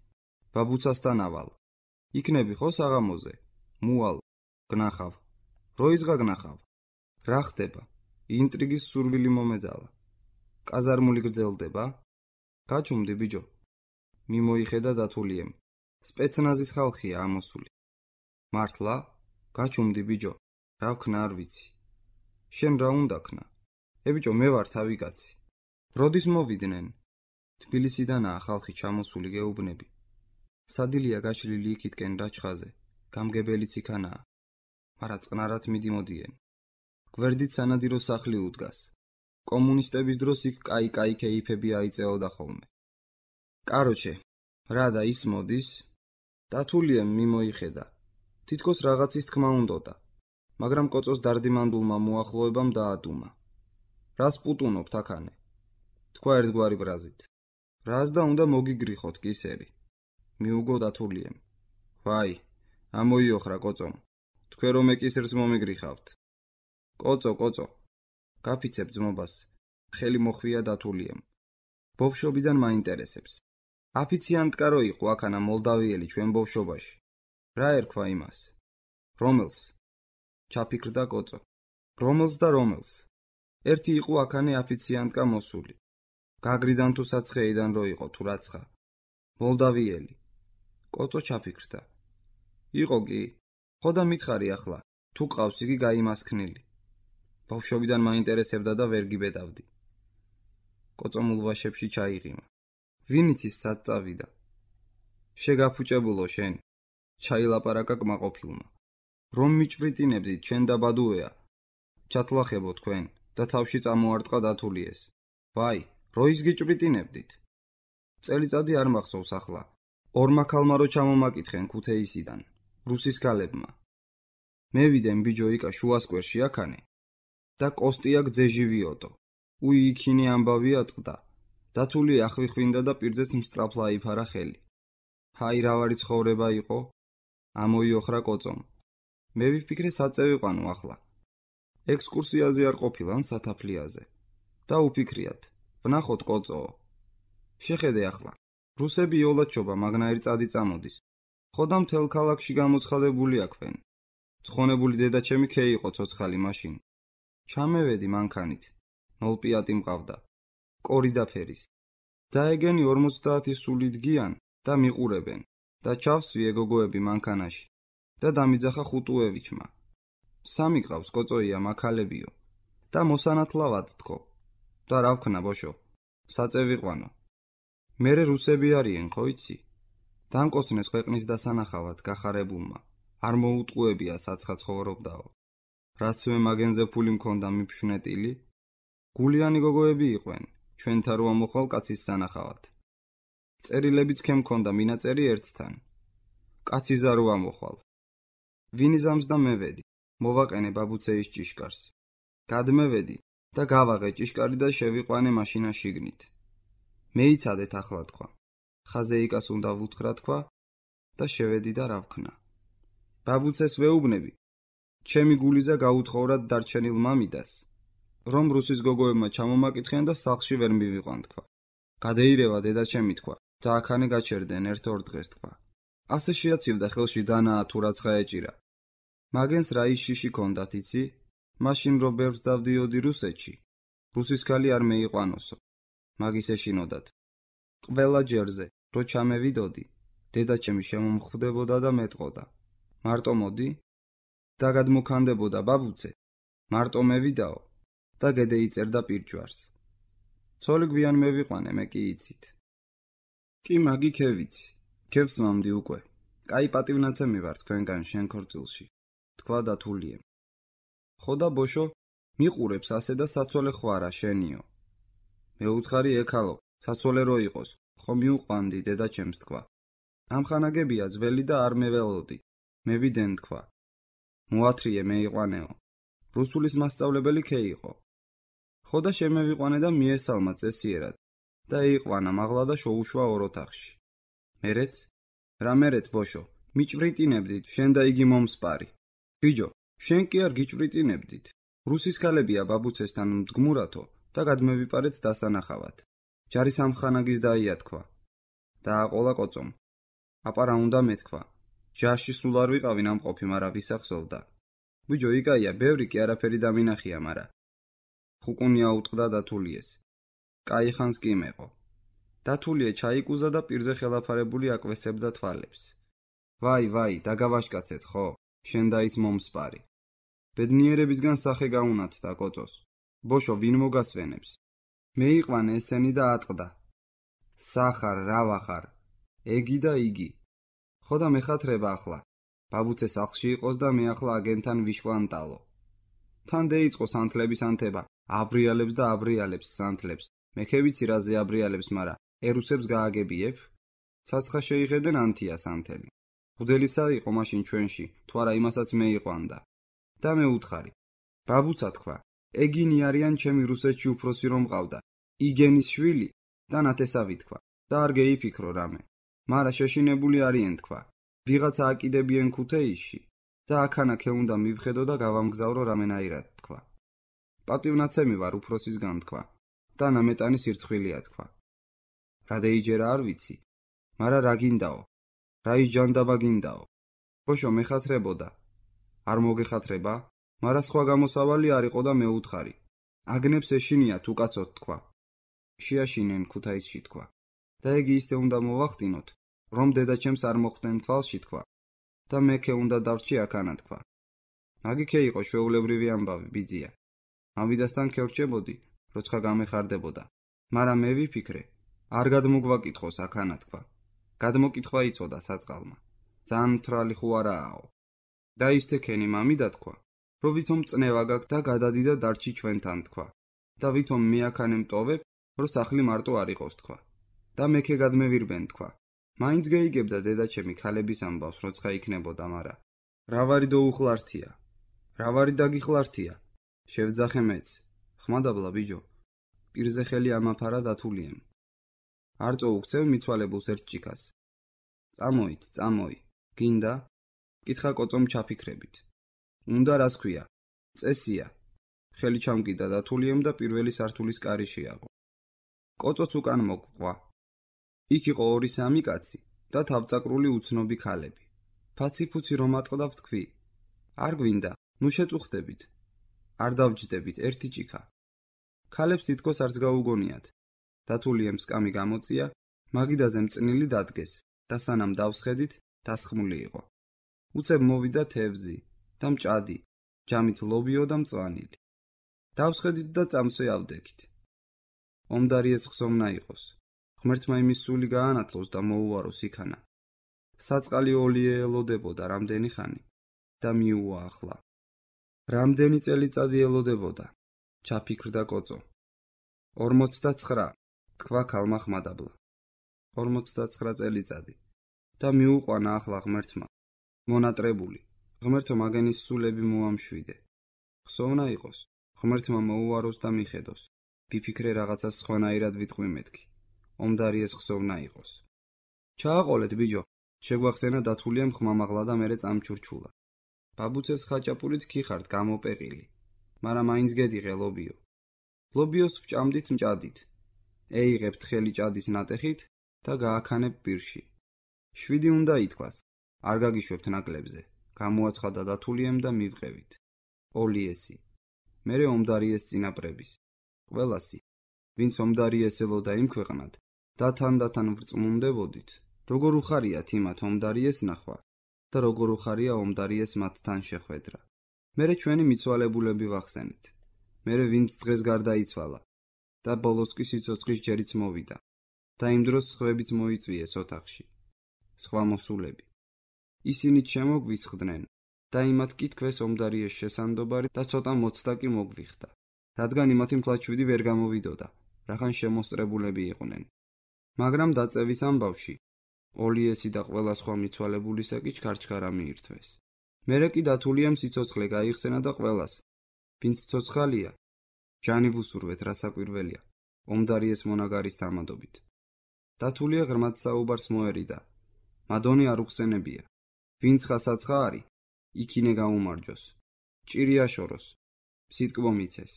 Speaker 1: ბაბუცასთან ავალ. იქნები ხო საღამოზე? მუალ, გნახავ. როიზღა გნახავ? რა ხდება? ინტრიგის სურვილი მომეძალა. კაზარმული გრძელდება? გაჩუმდი ბიჯო. მიმოიხედა დათულიემ. სპეცნაზის ხალხია ამოსული. მართლა? გაჩუმდი ბიჯო. რა ვქნა არ ვიცი. შენ რა უნდა ქნა? ბიჯო მე ვარ თავი კაცი. როდის მოვიდნენ? თბილისიდანაა ხალხი ჩამოსული გეუბნები. სადილია გაშლილი იქითკენ რაჩხაზე, გამგებელიც იქანაა, მარა წყნარად მიდიმოდიენ. გვერდით სანადირო სახლი უდგას. კომუნისტების დროს იქ კაი კეიფები აიწეოდა ხოლმე. კაროჩე, რა და ის მოდის? დათულიემ მიმოიხედა. თითქოს რაღაცის თქმა უნდოდა, მაგრამ კოწოს დარდიმანდულმა მოახლოებამ დაადუმა. რას პუტუნობთ აქანე? თქვა ერთგვარი ბრაზით. რას და უნდა მოგიგრიხოთ კისერი? მიუგო დათულიემ. ვაი, ამოიოხრა კოწომ. თქვენ რომ ეკისერს მომიგრიხავთ. კოწო, გაფიცებ ძმობას. ხელი მოხვია დათულიემ. ბავშვობიდან მაინტერესებს. აფიციანტკა რო იყო აქანა მოლდავიელი ჩვენ ბავშვობაში. რა ერქვა იმას? რომელს? ჩაფიქრდა კოწო. რომელს? ერთი იყო აქანე აფიციანტკა მოსული. გაგრიდან თუ საცხეიდან რო იყო თუ რაცხა. მოლდავიელი. კოწო ჩაფიქრდა. იყო კი? ხო და მითხარი ახლა, თუ ყავს იგი გაიმასქნილი. ბავშვობიდან მაინტერესებდა და ვერ გიბედავდი. კოწო მულვაშებში ჩაიღიმა. ვინიცის სად წავიდა? შეგაფუჭებულო შენ. ჩაილაპარაკა კმაყოფილმა. რომ მიჭვრიტინებდით შენ და ბადუეა. ჩათლახებო თქვენ და თავში წამოარტყა დათულიეს. ვაი, როის გიჭვრიტინებდით? წელიწადი არ მახსოვს ახლა. ორმა ქალმა რო ჩამომაკითხენ ქუთეისიდან, რუსის ქალებმა. მე ვიდენ ბიჯო იკა შუასკვერში აქანე და კოსტია გძეჟივიოტო. უი იქინე ამბავი ატყდა. დათული ახვიხვინდა და პირზეც მსწრაფლა აიფარა ხელი. ჰაი რავარი ცხოვრება იყო? ამოიოხრა კოწომ. მე ვიფიქრე საწევიყვანო ახლა. ექსკურსიაზე არ ყოფილან სათაფლიაზე. და უფიქრიათ, ვნახოთ კოწოო. შეხედე ახლა. რუსები იოლად შობა მაგნაირი წადი წამოდის. ხო და მთელ ქალაქში გამოცხადებული აქვენ. ცხონებული დედაჩემი ქე იყო ცოცხალი მაშინ. ჩამევედი მანქანით. 0 პიატი მყავდა. კორი და ფერის. დაეგენი 50 სულით გიან და მიყურებენ. და ჩავსვი ეგოგოები მანქანაში. და დამიძახა ხუტუევიჩმა. 3 ყავს კოწოია მაქალებიო. და მოსანათლავად თქო. და რა ვქნა ბოშო? საწევიყვანო. მერე რუსები არიან, ხო იცი? დამკოცნეს ქვეყნის დასანახავად გახარებულმა. არ მოუტყუებია საცხა ცხოვრობდაო. რაც მე მაგენზე ფული მქონდა მიფშვნეტილი. გულიანი გოგოები იყვენ, ჩვენთა რო ამოხვალ კაცის სანახავად. წერილებიც ქემ მქონდა მინაწერი ერთთან. კაცი ზარო ამოხვალ. ვინიზამს და მევედი, მოვაყენე ბაბუცეის ჭიშკარს. გადმევედი და გავაღე ჭიშკარი და შევიყვანე მაშინა შიგნით. მეიცადეთ ახლა თქვა. ხაზეიკას უნდა ვუთხრა თქვა და შევედი და რა ვქნა. ბაბუცეს ვეუბნები. ჩემი გულიზა გაუთხოვრად დარჩენილ მამიდას, რომ რუსის გოგოებმა ჩამომაკითხენ და სახლში ვერ მივიყვან თქვა. გადეირევა დედაჩემი თქვა და აქანე გაჩერდენ ერთ-ორ დღეს თქვა. ასე შეაცივდა ხელში დანაა თუ რაცხა ეჭირა. მაგენს რა ისში ქონდათ იცი? მაშინ რო ბევრს დავდიოდი რუსეთში. რუსის ქალი არ მეიყვანოსო. მაგის ეშინოდათ. ყველა ჯერზე რო ჩამევიდოდი, დედაჩემი შემომხვდებოდა და მეტყოდა. მარტო მოდი? და გადმოქანდებოდა ბაბუცე. მარტო მევიდაო და გედეიწერდა პირჯვარს. ცოლი გვიან მევიყვანე მე კი იცით. კი მაგი ქევიცი. ქევს მამდი უკვე. კაი პატივნაცემი ვარ თქვენგან შენ ქორწილში. თქვა დათულიემ. ხო და ბოშო, მიყურებს ასე და საცოლე ხვარა შენიო. მე უთხარი ეკალო, საცოლე რო იყოს, ხო მიუყვანდი დედაჩემს თქვა. ამხანაგებია ძველი და არ მეველოდი. მე ვიდენ თქვა. მოათრიე მეიყვანეო. რუსულის მასწავლებელი ქე იყო. ხო და შემევიყვანე და მიესალმა წესიერად და იყვანა მაღლა და შოუშვა ორ ოთახში. მერეთ? რა მერეთ ბოშო, მიჭვრიტინებდით შენ და იგი მომსპარი. ბიჯო, შენ კი არ გიჭვრიტინებდით. რუსის ქალებია ბაბუცესთან მდგმურათო და გადმევიპარეთ დასანახავად. ჯარის ამხანაგის დაია თქვა. დააყოლა კოწომ. აპარა უნდა მეთქვა. ჯარში სულ არ ვიყავი ნამყოფი, მარა ვისახსოვდა. ბიჯო, იკაია, ბევრი კი არაფერი დამინახია, მარა. ხუკუნია უტყდა დათულიეს. კაი ხანს კი მეყო. დათულია ჩაიკუზა და პირზე ხელაფარებული აკვესებდა თვალებს. ვაი, დაგავაშკაცეთ, ხო? შენ და ის მომსპარი. ბედნიერებისგან სახე გაუნათდა კოწოს. ბოშო, ვინ მოგასვენებს? მეიყვანე ესენი და ატყდა. სახარ, რავახარ. ეგი და იგი. ხო და მეხათრება ახლა. ბაბუცე სახლში იყოს და მე ახლა აგენთან ვიშკვანტალო. თან დაიწყო სანთლების ანთება, აბრიალებს და აბრიალებს სანთლებს. მე ვიცი რაზე აბრიალებს, მარა ერუსებს გააგებიებ? ცაცხა შეიღედენ ანთია სანთელი. ღუდელისა იყო მაშინ ჩვენში, თუ არა იმასაც მე იყვანდა. და მე უთხარი. ბაბუცა თქვა, ეგინი არიან ჩემი რუსეთში უფროსი რომ მყავდა. იგენის შვილი და ნათესავი თქვა. და არ გეიფიქრო რამე. მარა შეშინებული არიან თქვა. ვიღაცა აკიდებიან ქუთეისში და აქანაკე უნდა მივხედო და გავამგზავრო რამენაირად თქვა. პატივნაცემი ვარ უფროსისგან თქვა. და ნამეტანი სირცხვილია თქვა. რა დაიჯერა არ ვიცი, მარა რა გინდაო? რა ის ჯანდაბა გინდაო? ბოშო მეხათრებოდა. არ მოგეხათრება? მარა სხვა გამოსავალი არ იყო და მე უთხარი. აგნებს ეშინიათ უკაცოდ თქვა. შეაშინენ ქუთაისში თქვა. და ეგი ისე უნდა მოვახტინოთ, რომ დედაჩემს არ მოხდნენ თვალში თქვა. და მეკე უნდა დავრჩი აქანა თქვა. მაგიქე იყო ჩვეულებრივი ამბავი ბიძია. ამბიდასთან ქერჩებოდი, როცა გამეხარდებოდა. მარა მე ვიფიქრე, არ გადმოგვაკითხოს აქანა თქვა. გადმოკითხვა იწოდა საწყალმა. ძალიან მთრალი ხო არააო. და ისთექენი მამიდა თქვა, რომ ვითომ წნევა გაქვს და გადადი და დარჩი ჩვენთან თქვა. და ვითომ მე აქანე მტოვებ, რომ სახლი მარტო არ იყოს თქვა. და მეკე გადმევირბენ თქვა. მაინც გეიგებდა დედაჩემი ქალების ამბავს, როცა იქნებოდა, მარა რა ვარი დაუხლართია. რა ვარი დაგიხლართია. შევძახე მეც. ხმადაბლა ბიჯო. პირზე ხელი ამაფარა დათულიემ. არ წოუქცევ მიცვალებულს ერთ ჭიქას. წამოით, წამოი. გინდა? კითხა კოწომ ჩაფიქრებით. უნდა რას ქვია? წესია. ხელი ჩამკიდა დათულიემ და პირველი სართულის კარი შეაღო. კოწოც უკან მოგყვა. იქ იყო 2-3 კაცი და თავწაკრული უცნობი ქალები. ფაცი-ფუცი რომ ატყდა ვთქვი. არ გვინდა, ნუ შეწუხდებით. არ დავჯდებით ერთი ჭიქა. ქალებს თითქოს არც გაუგონიათ. დათულიემ სკამი გამოწია, მაგიდაზე მწნილი დადგეს და სანამ დავსხედით, დასხმული იყო. უცებ მოვიდა თევზი და მჭადი, ჯამით ლობიო და მწვანილი. დავსხედით და წამსვე ავდექით. ომდარიეს ხსოვნა იყოს. ღმერთმა იმის სული გაანათლოს და მოუვაროს იქანა. საწყალი ოლიე ელოდებოდა რამდენი ხანი და მიუვა ახლა. რამდენი წელიწადი ელოდებოდა, ჩაფიქრდა კოწო. 49, თქვა ქალმა ხმადაბლა. 49 წელიწადი და მიუყვანა ახლა ღმერთმა. მონატრებული, ღმერთო მაგენის სულები მოამშვიდე. ხსოვნა იყოს, ღმერთმა მოუვაროს და მიხედოს. ვიფიქრე რაღაცას სხვანაირად ვიტყვი მეთქი. ომდარიეს ხსოვნა იყოს. ჩააყოლეთ ბიჯო, შეგვახსენა დათულიემ ხმამაღლა და მერე წამჩურჩულა. ბაბუცეს ხაჭაპურით ქიხართ გამოპეყილი, მარა მაინც გედიღე ლობიო. ლობიოს ვჭამდით მჭადით. ეიღებთ ხელი ჭადის ნატეხით და გააქანებ პირში. 7 უნდა ითქვას, არ გაგიშვებთ ნაკლებზე. გამოაცხადა დათულიემ და მივყევით. ოლიესი. მერე ომდარიეს წინაპრების. ყველასი, ვინც ომდარიეს ელოდა იმ ქვეყნად, და თან ვრწმუნდებოდით, როგორ უხარიათ იმათ ომდარიეს ნახვა და როგორ უხარია ომდარიეს მათთან შეხვედრა. მერე ჩვენი მიცვალებულები ვახსენით. მერე ვინც დღეს გარდაიცვალა და ბოლოს კი სიცოცხლის ჯერიც მოვიდა და იმ დროს სხვებიც მოიწვიეს ოთახში. სხვა მოსულები. ისინიც შემოგვისხდნენ და იმათ კითქვეს ომდარიეს შესანდობარი და ცოტა მოცდა კი მოგვიხდა. რადგან იმათი მთლად ვერ გამოვიდოდა, რახან შემოსწრებულები იყვნენ. მაგრამ დაწევის ამბავში ოლიესი და ყველა სხვა მიცვალებულისა კი ჩქარჩქარა მიირთვეს. მერე კი დათულიემ სიცოცხლე გაიხსენა და ყველას, ვინც ცოცხალია, ჯანი ვუსურვეთ რასაკვირველია, ომდარიეს მონაგარის თამადობით. დათულია ღრმად საუბარს მოერიდა, მადონი არ უხსენებია, ვინც ხასაცხა არი, იქინე გაუმარჯოს, ჭირი აშოროს, სიტკბო მიცეს.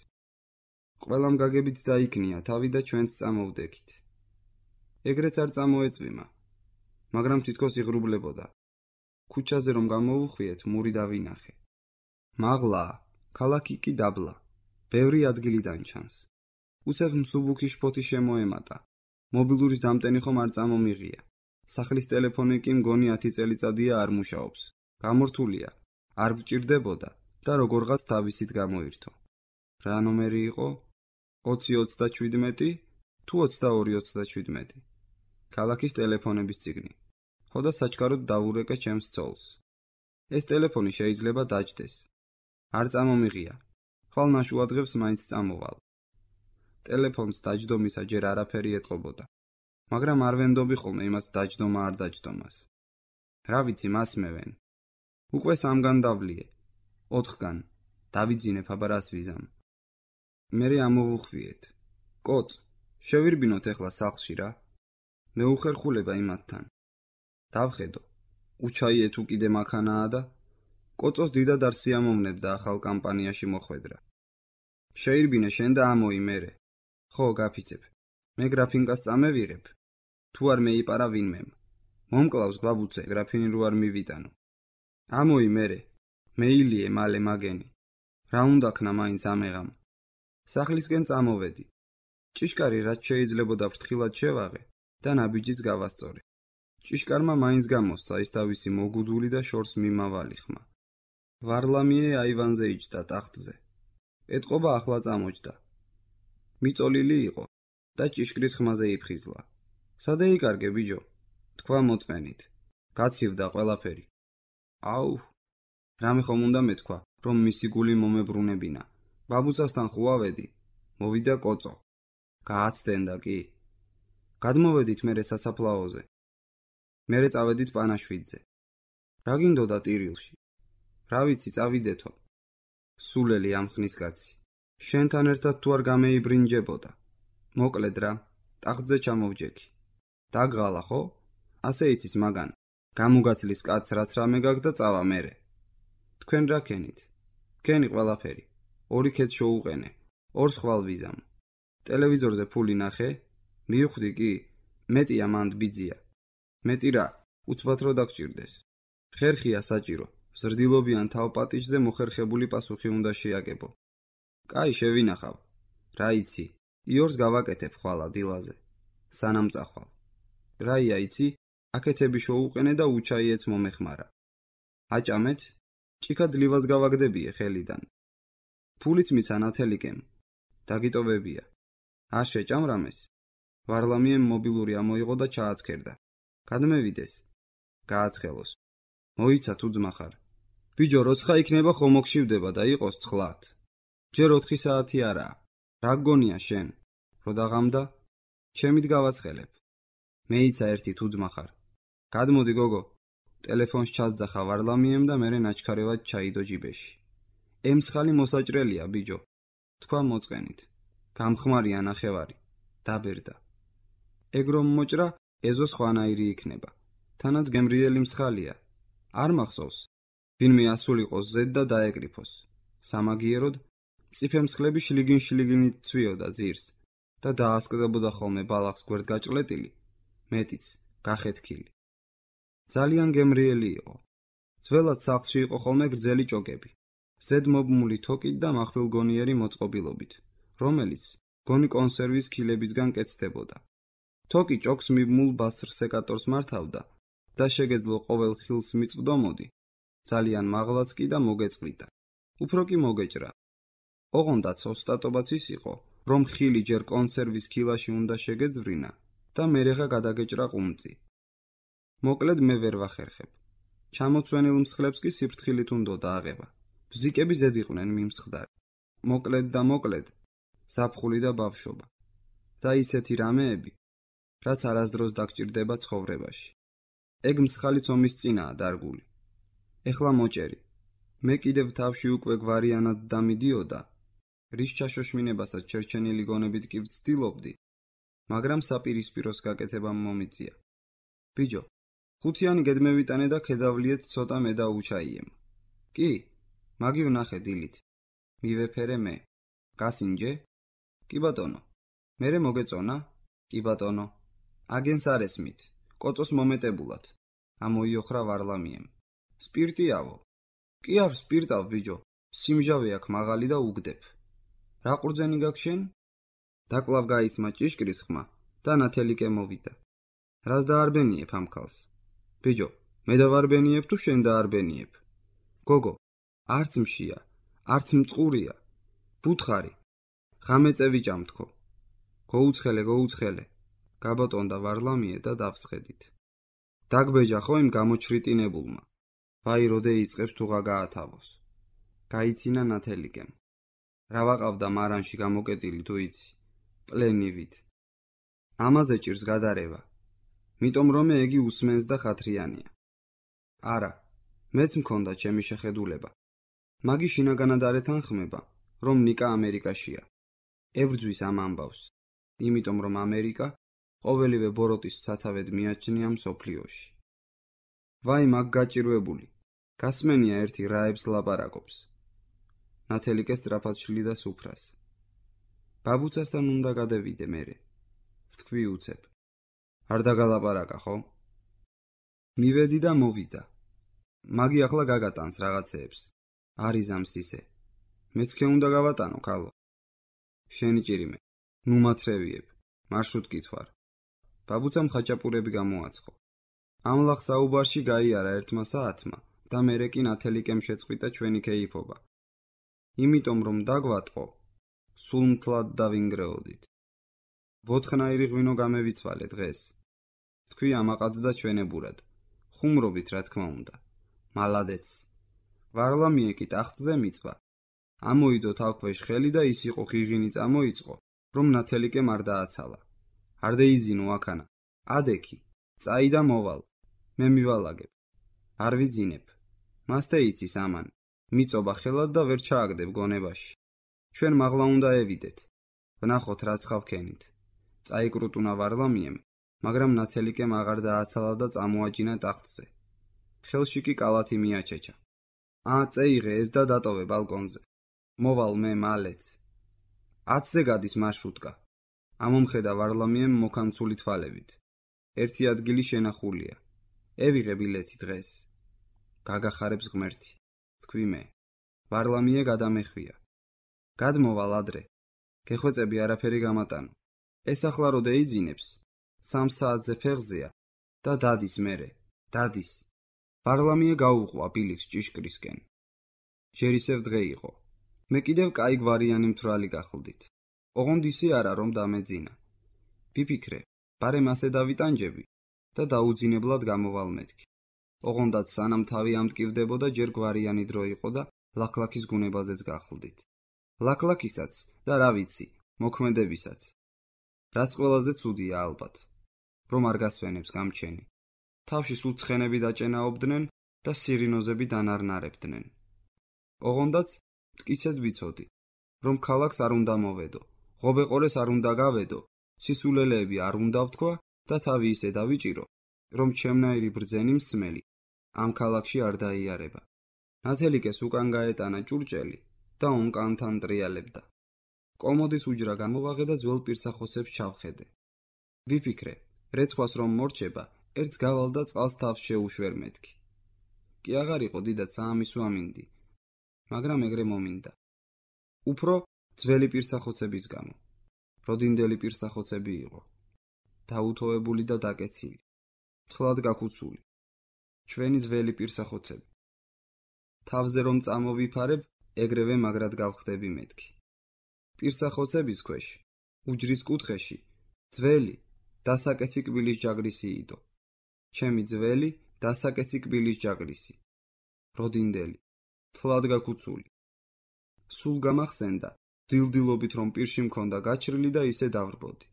Speaker 1: ყველამ გაგებით დაიქნია თავი და ჩვენც წამოვდექით. ეგრეც არ წამოეწვიმა, მაგრამ თითქოს იღრუბლებოდა. ქუჩაზე რომ გამოვუხვიეთ, მური დავინახე. მაღლაა, ქალაქი კი დაბლა. ბევრი ადგილიდან ჩანს. უცებ მსუბუქი შფოთი შემოემატა. მობილურის დამტენი ხომ არ წამომიღია. სახლის ტელეფონი კი მგონი 10 წელიწადია არ მუშაობს. გამორთულია, არ ვჭირდებოდა და როგორღაც თავისით გამოირთო. რა ნომერი იყო? 2037 თუ 2237? ქალაქის ტელეფონების წიგნი. ხო და საჩქაროდ დავურეკე ჩემს ცოლს. ეს ტელეფონი შეიძლება დაჯდეს. არ წამომიღია. ხვალ ნაშუადღებს მაინც წამოვალ. ტელეფონს დაჯდომისა ჯერ არაფერი ეტყობოდა. მაგრამ არ ვენდობი ხოლმე იმას დაჯდომა არ დაჯდომას. რა ვიცი, მასმევენ. უკვე 3-გან დავლიე. 4-გან. დავიძინებ, აბა რას ვიზამ. მერე ამოვუხვიეთ. კოც, შევირბინოთ ეხლა სახლში რა. მეუხერხულება იმათთან. დავხედო. უჩაიე თუ კიდე მაქანაა და კოწოს დიდად არ სიამოვნებდა ახალ კამპანიაში მოხვედრა. შეირბინე შენ და ამოი მერე. ხო, გაფიცებ. მე გრაფინკას წამევიღებ. თუ არ მეიპარა ვინმემ. მომკლავს ბაბუცე, გრაფინი რო არ მივიტანო. ამოი მერე. მეილიე მალე მაგენი. რა უნდა ქნა მაინც ამეღამ. სახლისკენ წამოვედი. ჭიშკარი რაც შეიძლებოდა ფრთხილად შევაღე და ნაბიჯიც გავასწორე. ჭიშკარმა მაინც გამოსცა ის თავისი მოგუდული და შორს მიმავალი ხმა. ვარლამიე აივანზე იჯდა ტახტზე. ეტყობა ახლა წამოჯდა. მიწოლილი იყო და ჭიშკრის ხმაზე იფხიზლა. სადე იკარგე ბიჯო? თქვა მოწყენით. გაცივდა ყველაფერი. აუ, რამე ხომ უნდა მეთქვა, რომ მისი გული მომებრუნებინა. ბაბუცასთან ხუავედი. მოვიდა კოწო. გააცდენდა კი. გადმოვედით მერე სასაფლაოზე. მერე წავედით პანაშვიდზე. რა გინდოდა ტირილში? რა ვიცი, წავიდეთო. სულელი ამ ხნის კაცი. შენთან ერთად თუ არ გამეიბრინჯებოდა. მოკლედ რა, ტახტზე ჩამოვჯექი. დაგღალა ხო? ასე იცის მაგან. გამუგაცლის კაცს რაც რამე გაქვს და წავა მერე. თქვენ რა ქენით? ქენი ყველაფერი. 2 ქეთ შოუყენე. 2 ხვალ ვიზამ. ტელევიზორზე ფული ნახე? მივხვდი კი, მეტია მანდ ბიძია. მეტი რა, უცბად რო დაგჭირდეს. ხერხია საჭირო. ზრდილობიან თავპატიჟზე მოხერხებული პასუხი უნდა შეაგებო. კაი, შევინახავ. რა იცი, იორს გავაკეთებ ხვალა დილაზე. სანამ წახვალ. რაია იცი, აკეთები შოუყენე და უჩაიეც მომეხმარა. აჭამეთ, ჭიქა ძლივას გავაგდებიე ხელიდან. ფულიც მიცა ნათელიკემ. დაგიტოვებია. არ შეჭამრამეს. ვარლამიემ მობილური ამოიღო და ჩააცქერდა. გადმევიდეს. გააცხელოს. მოიცა თუ ძმახარ. ბიჯო, როცხა იქნება ხომ მოგშივდება და იყოს ცხლად. ჯერ 4 საათი არაა. რა გგონია შენ? რო დაღამდა? ჩემით გავაცხელებ. მეიცა ერთი თუ ძმახარ. გადმოდი გოგო. ტელეფონს ჩასძახა ვარლამიემ და მერე ნაჩქარევად ჩაიდო ჯიბეში. ემცხალი მოსაჭრელია ბიჯო. თქვა მოწყენით. გამხმარია ნახევარი. დაბერდა. ეგრომ მოჭრა, ეზო სხვანაირი იქნება. თანაც გემრიელი მსხალია. არ მახსოვს. ვინმე ასულიყოს ზედ და დაეკრიფოს. სამაგიეროდ, მწიფემსხლები შლიგინ-შლიგინით ცვიოდა ძირს და დაასკდებოდა ხოლმე ბალახს გვერდგაჭლეტილი, მეტიც, გახეთქილი. ძალიან გემრიელი იყო. ძველად სახლში იყო ხოლმე გრძელი ჭოკები. ზედ მობმული თოკით და מחვილგონიერი მოწყობილობით, რომელიც გონი კონსერვის ქილებისგან კეთდებოდა. თოკი ჭოკს მიბმულ ბასრ სეკატორს მართავდა და შეგეძლო ყოველ ხილს მიწვდომოდი, ძალიან მაღლაც კი და მოგეწყვიტა. უფრო კი მოგეჭრა. ოღონდაც ოსტატობაც ის იყო, რომ ხილი ჯერ კონსერვის ქილაში უნდა შეგეძვრინა და მერეღა გადაგეჭრა ყუმწი. მოკლედ მე ვერ ვახერხებ. ჩამოცვენილ მსხლებს კი სიფრთხილით უნდა დააღება. ბზიკები ზედ იყვნენ მიმსხდარი. მოკლედ, ზაფხული და ბავშვობა. და ისეთი რამეები, რაც არასდროს დაგჭირდება ცხოვრებაში. ეგ მსხალი ომის წინაა დარგული. ეხლა მოჭერი. მე კიდევ თავში უკვე გვარიანად დამიდიოდა, რის ჩაშოშმინებასაც ჩერჩენილი გონებით კი ვცდილობდი, მაგრამ საპირისპიროს გაკეთებამ მომიწია. ბიჯო, 5-იანი გედმევიტანე და ქედავლიეთ ცოტა მე და უჩაიემ. კი, მაგი ვნახე დილით. მივეფერე მე. გასინჯე? კი ბატონო. მერე მოგეწონა? კი ბატონო. აგენს არ ესმით. კოწოს მომეტებულად. ამოიოხრა ვარლამიემ. სპირტიავო. კი არ სპირტავ ბიჯო. სიმჟავე აქვს მაღალი და უგდებ. რა ყურძენი გაქვს შენ? დაკლავ გაისმა ჭიშკრის ხმა და ნათელიკე მოვიდა. რას დაარბენიებ ამ ქალს? ბიჯო, მე დავარბენიებ თუ შენ დაარბენიებ? გოგო, არც მშია, არც მწყურია. ბუთხარი. ღამე წევიჭამთქო. გოუცხელე. გაბატონდა ვარლამიე და დავსხედით. დაგბეჯა ხო იმ გამოჩრიტინებულმა. ვაი როდე იწყებს თუ გაათავოს. გაიცინა ნათელიკემ. რა ვაყავდა მარანში გამოკეტილი თუ იცი? პლენივით. ამაზე ჭირს გადარევა. მიტომ რომ ეგი უსმენს და ხათრიანია. არა, მეც მქონდა ჩემი შეხედულება. მაგი შინაგანად არ ეთანხმება, რომ ნიკა ამერიკაშია. ებრძვის ამ ამბავს, იმიტომ რომ ამერიკა ყოველივე ბოროტის სათავედ მიაჩნია მსოფლიოში. ვაი მაგ გაჭირვებული, გასმენია ერთი რაებს ლაპარაკობს. ნათელიკე სწრაფად შლიდა სუფრას. ბაბუცასთან უნდა გადევიდე მერე. ვთქვი უცებ. არ დაგალაპარაკა ხო? მივედი და მოვიდა. მაგი ახლა გაგატანს რაღაცეებს. არის ამსისე. მეც ქე უნდა გავატანო, ქალო. შენი ჭირიმე. ნუ მათრევიებ. მარშრუტ კითხვარ. ბაბუცამ ხაჭაპურები გამოაცხო. ამ ლახ საუბარში გაიარა ერთმა საათმა და მერე კი ნათელიკემ შეწყვიტა ჩვენი ქეიფობა. იმიტომ რომ დაგვატყო, სულ მთლად დავინგრეოდით. ვოთხნაირი ღვინო გამევიცვალე დღეს. თქვი ამაყად და ჩვენებურად. ხუმრობით რა თქმა უნდა. მალადეც. ვარლამიე კი ტახტზე მიწვა. ამოიდო თავქვეშ ხელი და ის იყო ღიღინი წამოიწყო, რომ ნათელიკემ არ დააცალა. არ დაიძინო აქანა. ადექი. წაი და მოვალ. მე მივალაგებ. არ ვიძინებ. მასთე იცის ამან. მიწობა ხელად და ვერ ჩააგდებ გონებაში. ჩვენ მაღლა უნდა ევიდეთ. ვნახოთ რა ცხავქენით. წაიკრუტუნა ვარლამიემ, მაგრამ ნათელიკემ აღარ დააცალა და წამოაჯინა ტახტზე. ხელში კი კალათი მიაჩეჩა. წეიღე ეს და დატოვე ბალკონზე. მოვალ მე მალეც. 10-ზე გადის მარშრუტკა. ამომხედა ვარლამიემ მოკანცული თვალებით. ერთი ადგილი შენახულია. ევიღე ბილეთი დღეს. გაგახარებს ღმერთი. თქვი მე. ვარლამიე გადამეხვია. გადმოვალ ადრე. გეხვეწები არაფერი გამატანო. ეს ახლა რო დაიძინებს, 3 საათზე ფეხზეა და დადის მერე. დადის. ვარლამიე გაუყვა ბილიქს ჭიშკრისკენ. ჯერ ისევ დღე იყო. მე კიდევ კაი გვარიანი მთვრალი გახლდით. ოღონდ ისე არა რომ დამეძინა. ვიფიქრე, ბარემ ასე დავიტანჯები და დაუძინებლად გამოვალ მეთქი. ოღონდაც სანამ თავი ამტკივდებოდა ჯერ გვარიანი დრო იყო და ლაქლაქის გუნებაზეც გახლდით. ლაქლაქისაც და რა ვიცი, მოქმედებისაც. რაც ყველაზე ცუდია ალბათ, რომ არ გასვენებს გამჩენი. თავში სულ ცხენები დაჭენაობდნენ და სირინოზები დანარნარებდნენ. ოღონდაც მტკიცედ ვიცოდი, რომ ქალაქს არ უნდა მოვედო, ღობეყორეს არ უნდა გავედო, სისულელეები არ უნდა ვთქვა და თავი ისე დავიჭირო, რომ ჩემნაირი ბრძენი მსმელი ამ ქალაქში არ დაიარება. ნათელიკეს უკან გაეტანა ჭურჭელი და ონკანთან ტრიალებდა. კომოდის უჯრა გამოვაღე და ძველ პირსახოსებს ჩავხედე. ვიფიქრე, რეცხვას რომ მორჩება, ერთს გავალ და წყალს თავს შეუშვერ მეთქი. კი აღარ იყო დიდად საამისო ამინდი, მაგრამ ეგრე მომინდა. უფრო ძველი პირსახოცების გამო. როდინდელი პირსახოცები იყო. დაუთოებული და დაკეცილი. მთლად გაქუცული. ჩვენი ძველი პირსახოცები. თავზე რომ წამოვიფარებ, ეგრევე მაგრად გავხდები მეთქი. პირსახოცების ქვეშ, უჯრის კუთხეში, ძველი, დასაკეცი კბილის ჯაგრისი იდო. ჩემი ძველი, დასაკეცი კბილის ჯაგრისი. როდინდელი, თლად გაქუცული. სულ გამახსენდა, დილდილობით რომ პირში მქონდა გაჩრილი და ისე დავრბოდი.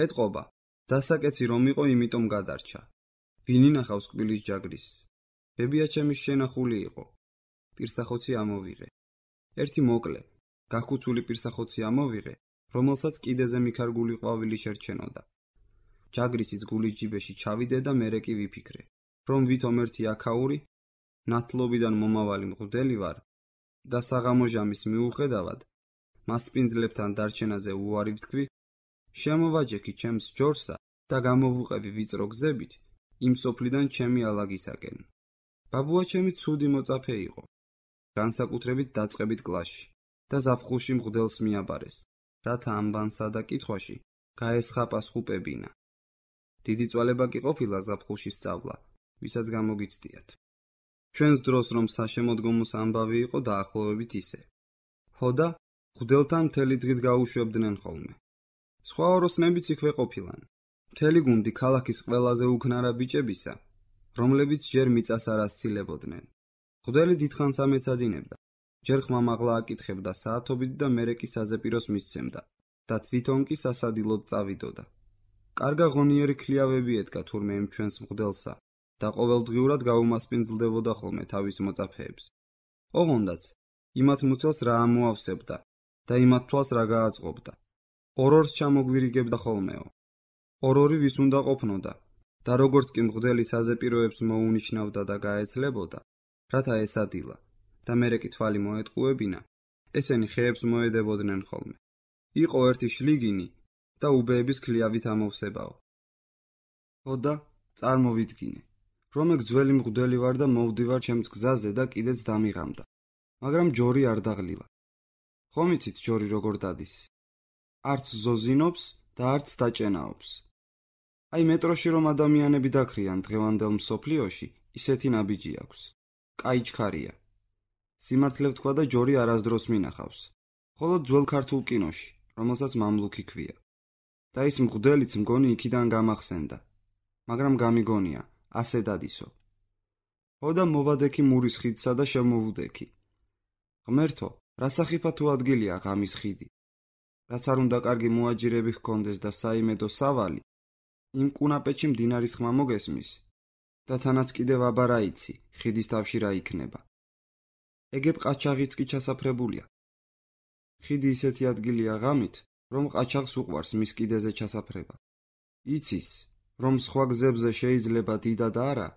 Speaker 1: ეტყობა, დასაკეცი რომ იყო, იმიტომ გადარჩა. ვინ ინახავს კბილის ჯაგრისს? ბებია ჩემის შენახული იყო. პირსახოცი ამოვიღე. ერთი მოკლე, გაქუცული პირსახოცი ამოვიღე, რომელსაც კიდეზე მიქარგული ყვავილი შერჩენოდა. ჯაგრისის გულის ჯიბეში ჩავიდე და მერე კი ვიფიქრე, რომ ვითომ ერთი აქაური, ნათლობიდან მომავალი მღვდელი ვარ და საღამო ჟამის მიუხედავად, მასპინძლებთან დარჩენაზე უარი ვთქვი, შემოვაჯექი ჩემს ჯორსა და გამოვუყევი ვიწრო გზებით იმ სოფლიდან ჩემი ალაგისაკენ. ბაბუა ჩემი ცუდი მოწაფე იყო, განსაკუთრებით დაწყებით კლასში და ზაფხულში მღვდელს მიაბარეს, რათა ამბანსა და კითხვაში გაესხა პასუხებინა. დიდი წვალება კი ყოფილა ზაფხულში სწავლა, ვისაც გამოგიცდიათ. ჩვენს დროს რომ საშემოდგომოს ამბავი იყო დაახლოებით ისე. ჰოდა მღვდელთან მთელი დღით გაუშვებდნენ ხოლმე. სხვა ოროსნებიც იქვე ყოფილან. მთელი გუნდი ქალაქის ყველაზე უქნარა ბიჭებისა, რომლებიც ჯერ მიწას არ ასცილებოდნენ. მღვდელი დიდხანს ამეცადინებდა, ჯერ ხმამაღლა აკითხებდა საათობით და მერე კი საზეპიროს მისცემდა და თვითონ კი სასადილოდ წავიდოდა. კარგა ღონიერი ქლიავები ედგა თურმე იმ ჩვენს მღვდელსა და ყოველდღიურად გაუმასპინძლდებოდა ხოლმე თავის მოწაფეებს. ოღონდაც იმათ მუცელს რა ამოავსებდა და იმათ თვალს რა გააწყობდა. ორ-ორს ჩამოგვირიგებდა ხოლმეო. ორ-ორი ვის უნდა ყოფნოდა და როგორც კი მღვდელი საზეპიროებს მოუნიშნავდა და გაეცლებოდა, რათა ესადილა და მერე კი თვალი მოეტყუებინა, ესენი ხეებს მოედებოდნენ ხოლმე. იყო ერთი შლიგინი და უბეების ქლიავით ამოვსებაო. ხოდა წარმოვიდგინე, რომ ეგ ძველი მღვდელი ვარ და მოვდივარ ჩემს გზაზე და კიდეც დამიღამდა, მაგრამ ჯორი არ დაღლილა. ხომ იცით ჯორი როგორ დადის? არც ზოზინობს და არც დაჭენაობს. აი მეტროში რომ ადამიანები დაქრიან დღევანდელ მსოფლიოში, ისეთი ნაბიჯი აქვს. კაი ჩქარია. სიმართლე ვთქვა და ჯორი არასდროს მინახავს. მხოლოდ ძველ ქართულ კინოში, რომელსაც მამლუქი ქვია. და ის მღვდელიც მგონი იქიდან გამახსენდა, მაგრამ გამიგონია, ასე დადისო. ხოდა მოვადექი მურის ხიდსა და შემოვუდექი. ღმერთო, რა სახიფა თუ ადგილია ღამის ხიდი. რაც არ უნდა კარგი მოაჯირები ჰქონდეს და საიმედო სავალი, იმ კუნაპეჩი მდინარის ხმა მოგესმის და თანაც კიდევ აბარა იცი, ხიდის თავში რა იქნება. ეგებ ყაჩაღიც კი ჩასაფრებულია. ხიდი ისეთი ადგილია ღამით, რომ ყაჩაღს უყვარს მის კიდეზე ჩასაფრება. იცის, რომ სხვა გზებზე შეიძლება დიდა და არა,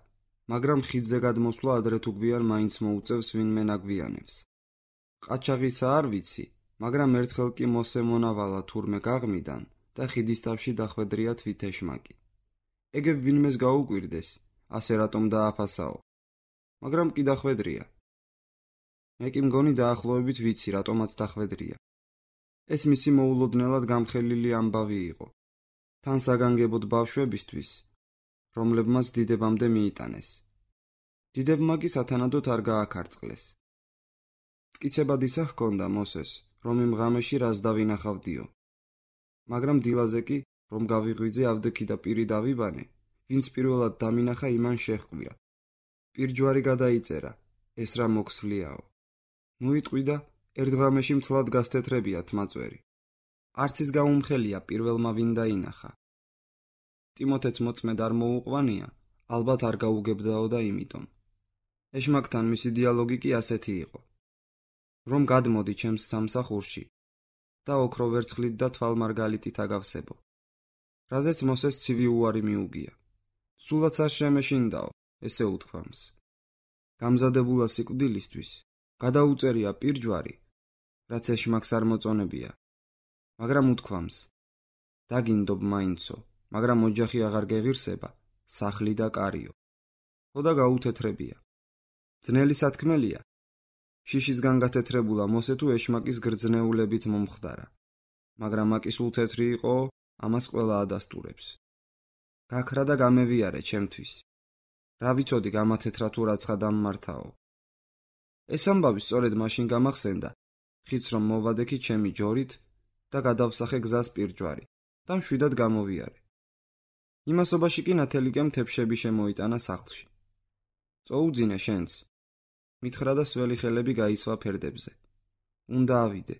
Speaker 1: მაგრამ ხიდზე გადმოსვლა ადრე თუ გვიან მაინც მოუწევს ვინმე ნაგვიანებს. ყაჩაღისა არ ვიცი, მაგრამ ერთხელ კი მოსემონავალა თურმე გაღმიდან და ხიდის თავში დახვედრია თვითეშმაკი. ეგებ ვინმეს გაუკვირდეს, ასე რატომ დააფასაო, მაგრამ კი დახვედრია. მე კი მგონი დაახლოებით ვიცი, რატომაც დახვედრია. ეს მისი მოულოდნელად გამხელილი ამბავი იყო. თან საგანგებოდ ბავშვებისთვის, რომლებმაც დიდებამდე მიიტანეს. დიდებმა კი სათანადოდ არ გააქარწყლეს. მტკიცებად ისა ჰქონდა მოსეს, რომ იმ ღამეში რას დავინახავდიო. მაგრამ დილაზე კი, რომ გავიღვიძე ავდექი და პირი დავიბანე, ვინც პირველად დამინახა იმან შეჰყვია. პირჯვარი გადაიწერა, ეს რა მოქსვლიაო. ნუ იტყვი და ერთ ღამეში მთლად გასთეთრებიათ მაწვერი. არც ის გაუმხელია პირველმა ვინ დაინახა. ტიმოთეც მოწმედ არ მოუყვანია, ალბათ არ გაუგებდაო და იმიტომ. ეშმაკთან მისი დიალოგი კი ასეთი იყო. რომ გადმოდი ჩემს სამსახურში და ოქრო ვერცხლით და თვალმარგალიტით აგავსებო. რაზეც მოსეს ცივი უარი მიუგია. სულაც არ შემეშინდაო, ესე უთქვამს. გამზადებულა სიკვდილისთვის გადაუწერია პირჯვარი, რაც ეშმაკს არ მოწონებია. მაგრამ უთქვამს, დაგინდობ მაინცო, მაგრამ ოჯახი აღარ გეღირსება, სახლი და კარიო. ხოდა გაუთეთრებია. ძნელი სათქმელია. შიშისგან გათეთრებულა მოსე თუ ეშმაკის გრძნეულებით მომხდარა. მაგრამ აკი სულ თეთრი იყო, ამას ყველა ადასტურებს. გაქრა და გამევიარე ჩემთვის. რა ვიცოდი გამათეთრა თუ რაცხა დამმართაო. ეს ამბავი სწორედ მაშინ გამახსენდა, ხიდს რომ მოვადექი ჩემი ჯორით და გადავსახე გზას პირჯვარი და მშვიდად გამოვიარე. იმასობაში კი ნათელიკემ თეფშები შემოიტანა სახლში. წოუძინე შენც. მითხრა და სველი ხელები გაისვა ფერდებზე. უნდა ავიდე.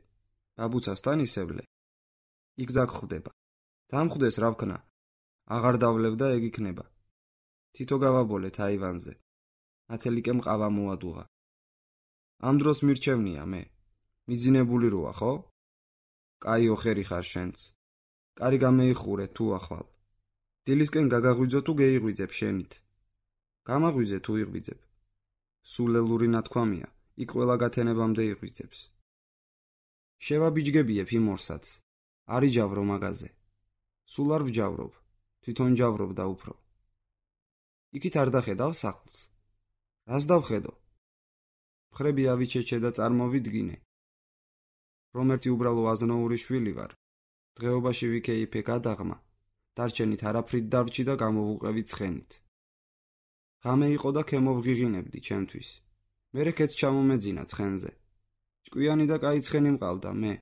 Speaker 1: ბაბუცასთან ისევლე. იქ დაგხვდება. დამხვდეს რა ვქნა. აღარ დავლევ და ეგ იქნება. თითო გავაბოლეთ აივანზე. ნათელიკემ ყავა მოადუღა. ამ დროს მირჩევნია მე. მიძინებული როა, ხო? კაი ოხერი ხარ შენც. კარი გამეიხურე თუ ახვალ. დილისკენ გაგაღვიძო თუ გეიღვიძებ შენით. გამაღვიძე თუ იღვიძებ. სულელური ნათქვამია, იქ ყველა გათენებამდე იღვიძებს. შევაბიჯგებიებ იმ ორსაც. არ იჯავრო მაგაზე. სულ არ ვჯავრობ, თვითონ ჯავრობ და უფრო. იქით არ დახედავ სახლს. რას დავხედო? მხრები ავიჩეჩე და წარმოვიდგინე, რომ ერთი უბრალო აზნაური შვილი ვარ. დღეობაში ვიქეიფე გადაღმა, დარჩენით არაფრით დარჩი და გამოვუყევი ცხენით. ღამე იყო და ქემოვღიღინებდი ჩემთვის. მერე ქეც ჩამომეძინა ცხენზე. ჭკვიანი და კაი ცხენი მყავდა მე.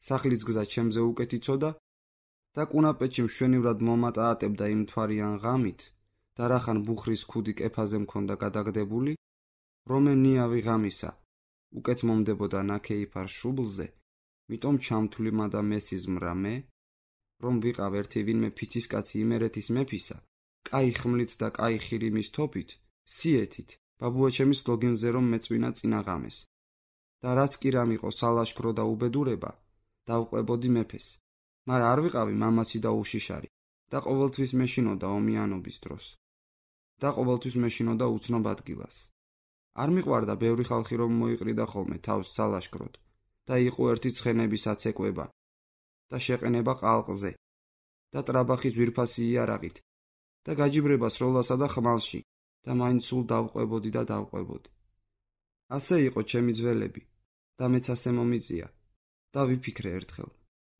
Speaker 1: სახლის გზა ჩემზე უკეთ იცოდა და კუნაპეჭი მშვენივრად მომატაატებდა იმ მთვარიან ღამით და რახან ბუხრის ქუდი კეფაზე მქონდა გადაგდებული, რომ ნიავი ღამისა უკეთ მომდებოდა ნაქეიფარ შუბლზე, მიტომ ჩამთვლიმა და მესიზმრა მე, რომ ვიყავ ერთი ვინმე ფიცისკაცი იმერეთის მეფისა, კაი ხმლით და კაი ხირიმის თოფით, სიეთით, ბაბუაჩემის ლოგინზე რომ მეწვინა წინა ღამეს. და რაც კი რამ იყო სალაშქრო და უბედურება, დავყვებოდი მეფეს, მაგრამ არ ვიყავი მამაცი და უშიშარი და ყოველთვის მეშინოდა ომიანობის დროს. და ყოველთვის მეშინოდა უცნობ ადგილას. არ მიყვარდა ბევრი ხალხი რომ მოიყრიდა ხოლმე თავს სალაშქროდ და იყო ერთი ცხენების აცეკვება და შეყენება ყალყზე და ტრაბახის ძვირფასი იარაღით და გაჯიბრება სროლასა და ხმალში და მაინც სულ დავყვებოდი და დავყვებოდი. ასე იყო ჩემი ძველები და მეც ასე მომიწია და ვიფიქრე ერთხელ,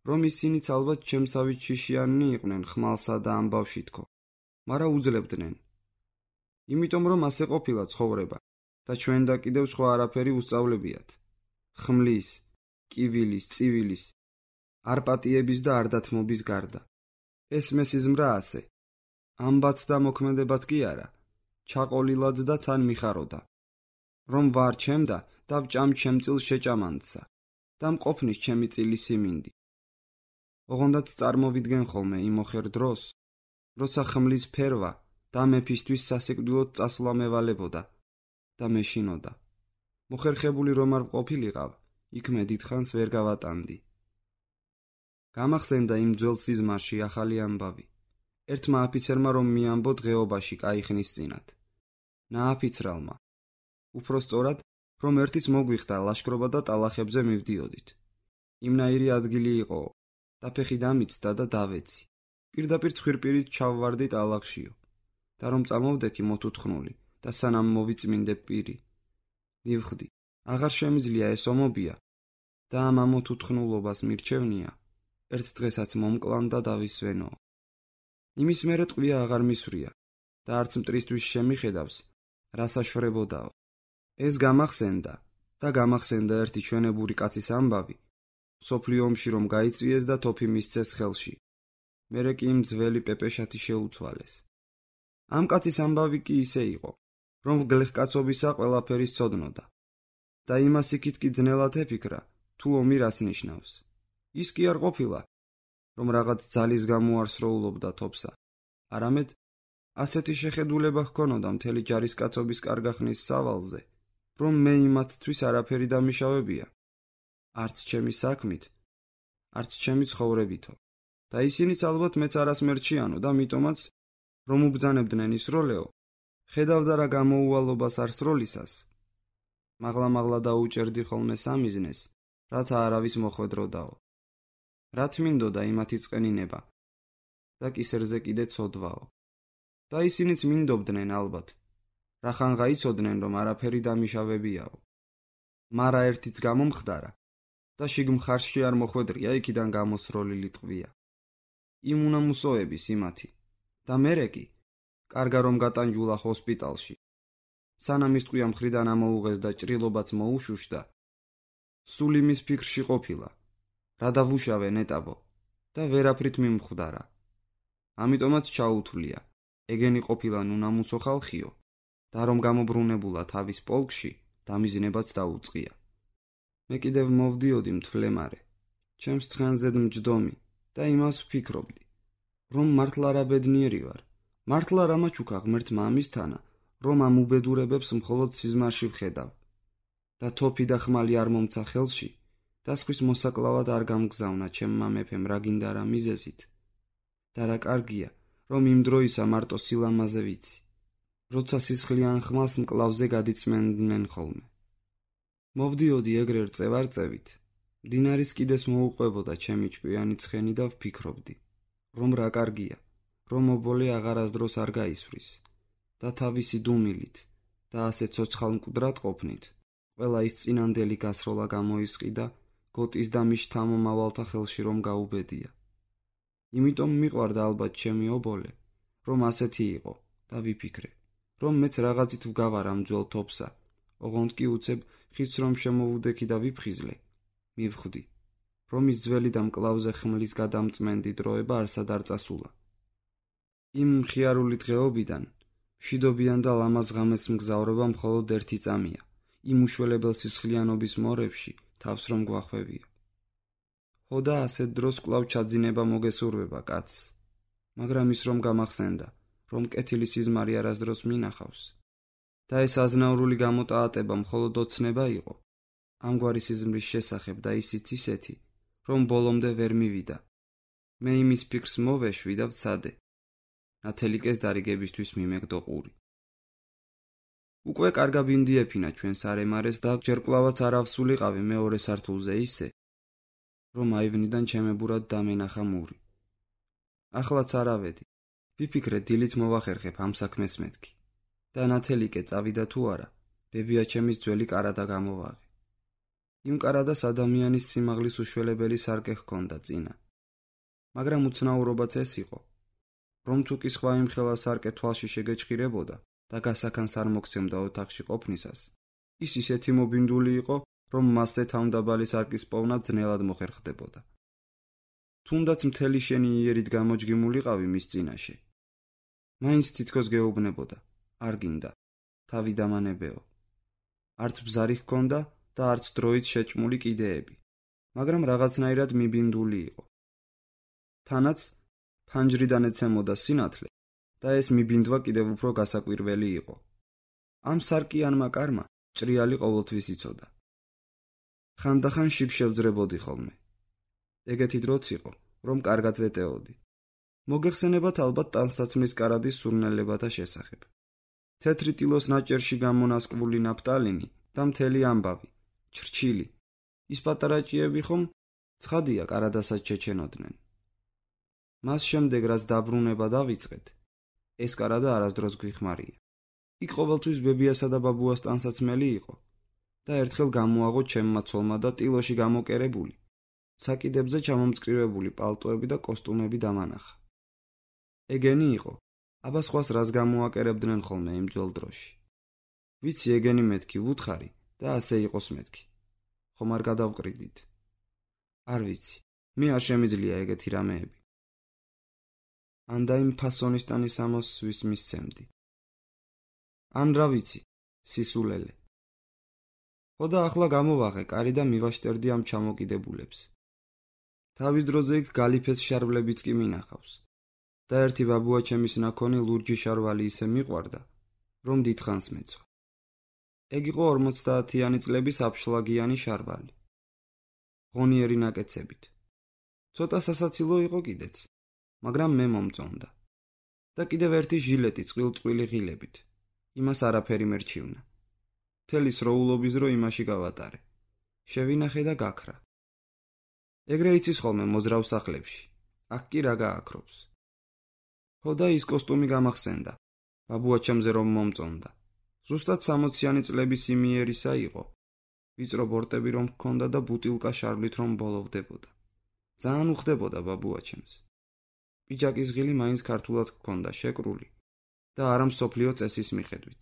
Speaker 1: რომ ისინიც ალბათ ჩემსავით შიშიანნი იყვნენ ხმალსა და ამბავში თქო, მაგრამ უძლებდნენ. იმიტომ რომ ასე ყოფილა ცხოვრება და ჩვენ და კიდევ სხვა არაფერი უსწავლებიათ. ხმლის, კივილის, წივილის, არპატიების და არდათმობის გარდა. ეს მესიზმრა ასე. ამბათ და მოქმედებად კი არა, ჩაყოლილად და თან მიხაროდა. რომ ვარ ჩემდა და ვჭამ ჩემწილ შეჭამანცა და მყოფნის ჩემი წილი სიმინდი. ოღონდაც წარმოვიდგენ ხოლმე იმ ოხერ დროს, როცა ხმლის ფერვა და მეფისთვის სასიკვდილოდ წასვლა მევალებოდა და მეშინოდა. მოხერხებული რომ არ ყოფილიყავ, იქ მე დიდხანს ვერ გავატანდი. გამახსენდა იმ ძველ სიზმარში ახალი ამბავი. ერთმა აფიცერმა რომ მიამბო დღეობაში კაი ხნის წინათ. ნააფიცრალმა. უფრო სწორად, რომ ერთიც მოგვიხდა ლაშქრობა და ტალახებზე მივდიოდით. იმნაირი ადგილი იყო და ფეხი დამიცდა და დავეცი. პირდაპირ ცხვირპირით ჩავვარდი ტალახშიო და რომ წამოვდექი მოთუთხნული და სანამ მოვიწმინდე პირი. ნივხვდი, აღარ შემიძლია ეს ომობია და ამ ამოთუთხნულობას მირჩევნია, ერთ დღესაც მომკლან და დავისვენო. იმის მერე ტყვია აღარ მისვრია და არც მტრისთვის შემიხედავს, რასაშვრებოდაო. ეს გამახსენდა და გამახსენდა ერთი ჩვენებური კაცის ამბავი, სოფლიო ომში რომ გაიწვიეს და თოფი მისცეს ხელში. მერე კი იმ ძველი პეპეშათი შეუცვალეს. ამ კაცის ამბავი კი ისე იყო, რომ გლეხკაცობისა ყველაფერი სცოდნოდა და იმას იქით კი ძნელად ეფიქრა, თუ ომი რას ნიშნავს. ის კი არ ყოფილა, რომ რაღაც ძალის გამო არ სროულობდა თოფსა, არამედ ასეთი შეხედულება ჰქონოდა მთელი ჯარისკაცობის კარგახნის სავალზე, რომ მე იმათთვის არაფერი დამიშავებია, არც ჩემი საქმით, არც ჩემი ცხოვრებითო. და ისინიც ალბათ მეც არას მერჩიანო და მიტომაც, რომ უბძანებდნენ ისროლეო, ხედავდა რა გამოუვალობას არ სროლისას. მაღლა-მაღლა დაუჭერდი ხოლმე სამიზნეს, რათა არავის მოხვედროდაო. რა თმინდოდა იმათი წყენინება და კისერზე კიდე ცოდვაო. და ისინიც მინდობდნენ ალბათ, რახან გაიცოდნენ რომ არაფერი დამიშავებიაო. მარა ერთიც გამომხდარა და შიგ მხარში არ მოხვედრია იქიდან გამოსროლილი ტყვია. იმ უნამუსოების იმათი და მერე კი, კარგა რომ გატანჯულა ჰოსპიტალში. სანამ ის ტყვია მხრიდან ამოუღეს და ჭრილობაც მოუშუშდა, სულ იმის ფიქრში ყოფილა, რა დავუშავე ნეტაბო და ვერაფრით მიმხვდარა. ამიტომაც ჩაუთვლია, ეგენი ყოფილა უნამუსო ხალხიო და რომ გამობრუნებულა თავის პოლკში, დამიზნებაც დაუწყია. მე კიდევ მოვდიოდი მთვლემარე, ჩემს ცხენზედ მჯდომი და იმას ვფიქრობდი, რომ მართლა რა ბედნიერი ვარ, მართლა რა მაჩუქა ღმერთმა ამისთანა, რომ ამ უბედურებებს მხოლოდ სიზმარში ვხედავ და თოფი და ხმალი არ მომცა ხელში და სხვის მოსაკლავად არ გამგზავნა ჩემმა მეფემ რა გინდა რა მიზეზით და რა კარგია, რომ იმ დროისა მარტო სილამაზე ვიცი, როცა სისხლიან ხმალს მკლავზე გადიწმენდნენ ხოლმე. მოვდიოდი ეგრე რწევარწევით, მდინარის კიდეს მოუყვებოდა ჩემი ჭკვიანი ცხენი და ვფიქრობდი, რომ რა კარგია, რომ ობოლე აღარასდროს არ გაისვრის და თავისი დუმილით და ასე ცოცხალ მკვდრად ყოფნით, ყველა ის წინანდელი გასროლა გამოისყიდა გოტის და მის შთამომავალთა ხელში რომ გაუბედია. იმიტომ მიყვარდა ალბათ ჩემი ობოლე, რომ ასეთი იყო და ვიფიქრე, რომ მეც რაღაცით ვგავარ ამ ძველ თოფსა, ოღონდ კი უცებ ხიდს რომ შემოვუდექი და ვიფხიზლე, მივხვდი, რომ ის ძველი და მკლავზე ხმლის გადამწმენდი დროება არსად არ წასულა. იმ მხიარული დღეობიდან მშვიდობიან და ლამაზ ღამეს მგზავრობა მხოლოდ ერთი წამია, იმ უშველებელ სისხლიანობის მორევში თავს რომ გვახვევია. ხოდა ასეთ დროს კვლავ ჩაძინება მოგესურვება კაცს, მაგრამ ის რომ გამახსენდა, რომ კეთილი სიზმარი არასდროს მინახავს და ეს აზნაურული გამოტაატება მხოლოდ ოცნება იყო, ამგვარი სიზმრის შესახებ და ისიც ისეთი, რომ ბოლომდე ვერ მივიდა. მე იმის ფიქრს მოვეშვი და ვცადე. ნათელიკეს დარიგებისთვის მიმეგდო ყური. უკვე კარგა ბინდი ეფინა ჩვენს არემარეს და ჯერ კვლავაც არ ავსულიყავი მეორე სართულზე ისე, რომ აივნიდან ჩემებურად დამენახა მური. ახლაც არავედი. ვიფიქრე დილით მოვახერხებ ამ საქმეს მეთქი და ნათელიკე წავიდა თუ არა, ბებიაჩემის ძველი კარადა გამოვაღე. იმ კარადას ადამიანის სიმაღლის უშველებელი სარკე ჰქონდა წინა. მაგრამ უცნაურობაც ეს იყო, რომ თუ კი სხვა იმხელა სარკე თვალში შეგეჭხირებოდა და გასაქანს არ მოგცემდა ოთახში ყოფნისას, ის ისეთი მობინდული იყო, რომ მასზე თავმდაბალი სარკის პოვნა ძნელად მოხერხდებოდა. თუნდაც მთელი შენი იერით გამოჯგიმულიყავი მის წინაშე. მაინც თითქოს გეუბნებოდა, არ გინდა, თავი დამანებეო. არც ბზარი ჰქონდა და არც დროით შეჭმული კიდეები, მაგრამ რაღაცნაირად მიბინდული იყო. თანაც ფანჯრიდან ეცემოდა სინათლე და ეს მიბინდვა კიდევ უფრო გასაკვირველი იყო. ამ სარკიანმა კარმა ჭრიალი ყოველთვის იცოდა. ხანდახან შიგ შევძრებოდი ხოლმე. ეგეთი დროც იყო, რომ კარგად ვეტეოდი. მოგეხსენებათ ალბათ ტანსაცმლის კარადის სურნელებათა შესახებ. თეთრი ტილოს ნაჭერში გამონასკვული ნაფტალინი და მთელი ამბავი, ჩრჩილი. ის პატარა ჭიები ხომ ცხადია კარადასაც შეჩენოდნენ. მას შემდეგ რაც დაბრუნება დავიწყეთ, ეს კარადა არასდროს გვიხმარია. იქ ყოველთვის ბებიასა და ბაბუას ტანსაცმელი იყო და ერთხელ გამოაღო ჩემმა ცოლმა და ტილოში გამოკერებული, საკიდებზე ჩამომწკრივებული პალტოები და კოსტუმები დამანახა. ეგენი იყო, აბა სხვას რას გამოაკერებდნენ ხოლმე იმ ძველ დროში. ვიცი ეგენი მეთქი ვუთხარი და ასე იყოს მეთქი. ხომ არ გადავყრიდით? არ ვიცი, მე არ შემიძლია ეგეთი რამეები. ან და იმ ფასონისტანი სამოსვის მისცემდი. ან რა ვიცი, სისულელე. ხოდა ახლა გამოვაღე კარი და მივაშტერდი ამ ჩამოკიდებულებს. თავის დროზე იქ გალიფეს შარვლებიც კი მინახავს. და ერთი ბაბუაჩემის ნაქონი ლურჯი შარვალი ისე მიყვარდა, რომ დიდხანს მეცვა. ეგ იყო 50-იანი წლების აფშლაგიანი შარვალი. ღონიერი ნაკეცებით. ცოტა სასაცილო იყო კიდეც, მაგრამ მე მომწონდა. და კიდევ ერთი ჟილეტი წყვილ-წყვილი ღილებით. იმას არაფერი მერჩივნა. მთელი სროულობის დრო იმაში გავატარე. შევინახე და გაქრა. ეგრე იცის ხოლმე მოზრავ სახლებში. აქ კი რა გააქრობს. ხოდა ის კოსტუმი გამახსენდა. ბაბუაჩემზე რომ მომწონდა. ზუსტად 60-იანი წლების იმიერისა იყო. ვიწრო ბორტები რომ ჰქონდა და ბუტილკა შარვლით რომ ბოლოვდებოდა. ძალიან უხდებოდა ბაბუაჩემს. პიჯაკის ღილი მაინც ქართულად ჰქონდა შეკრული და არა მსოფლიო წესის მიხედვით.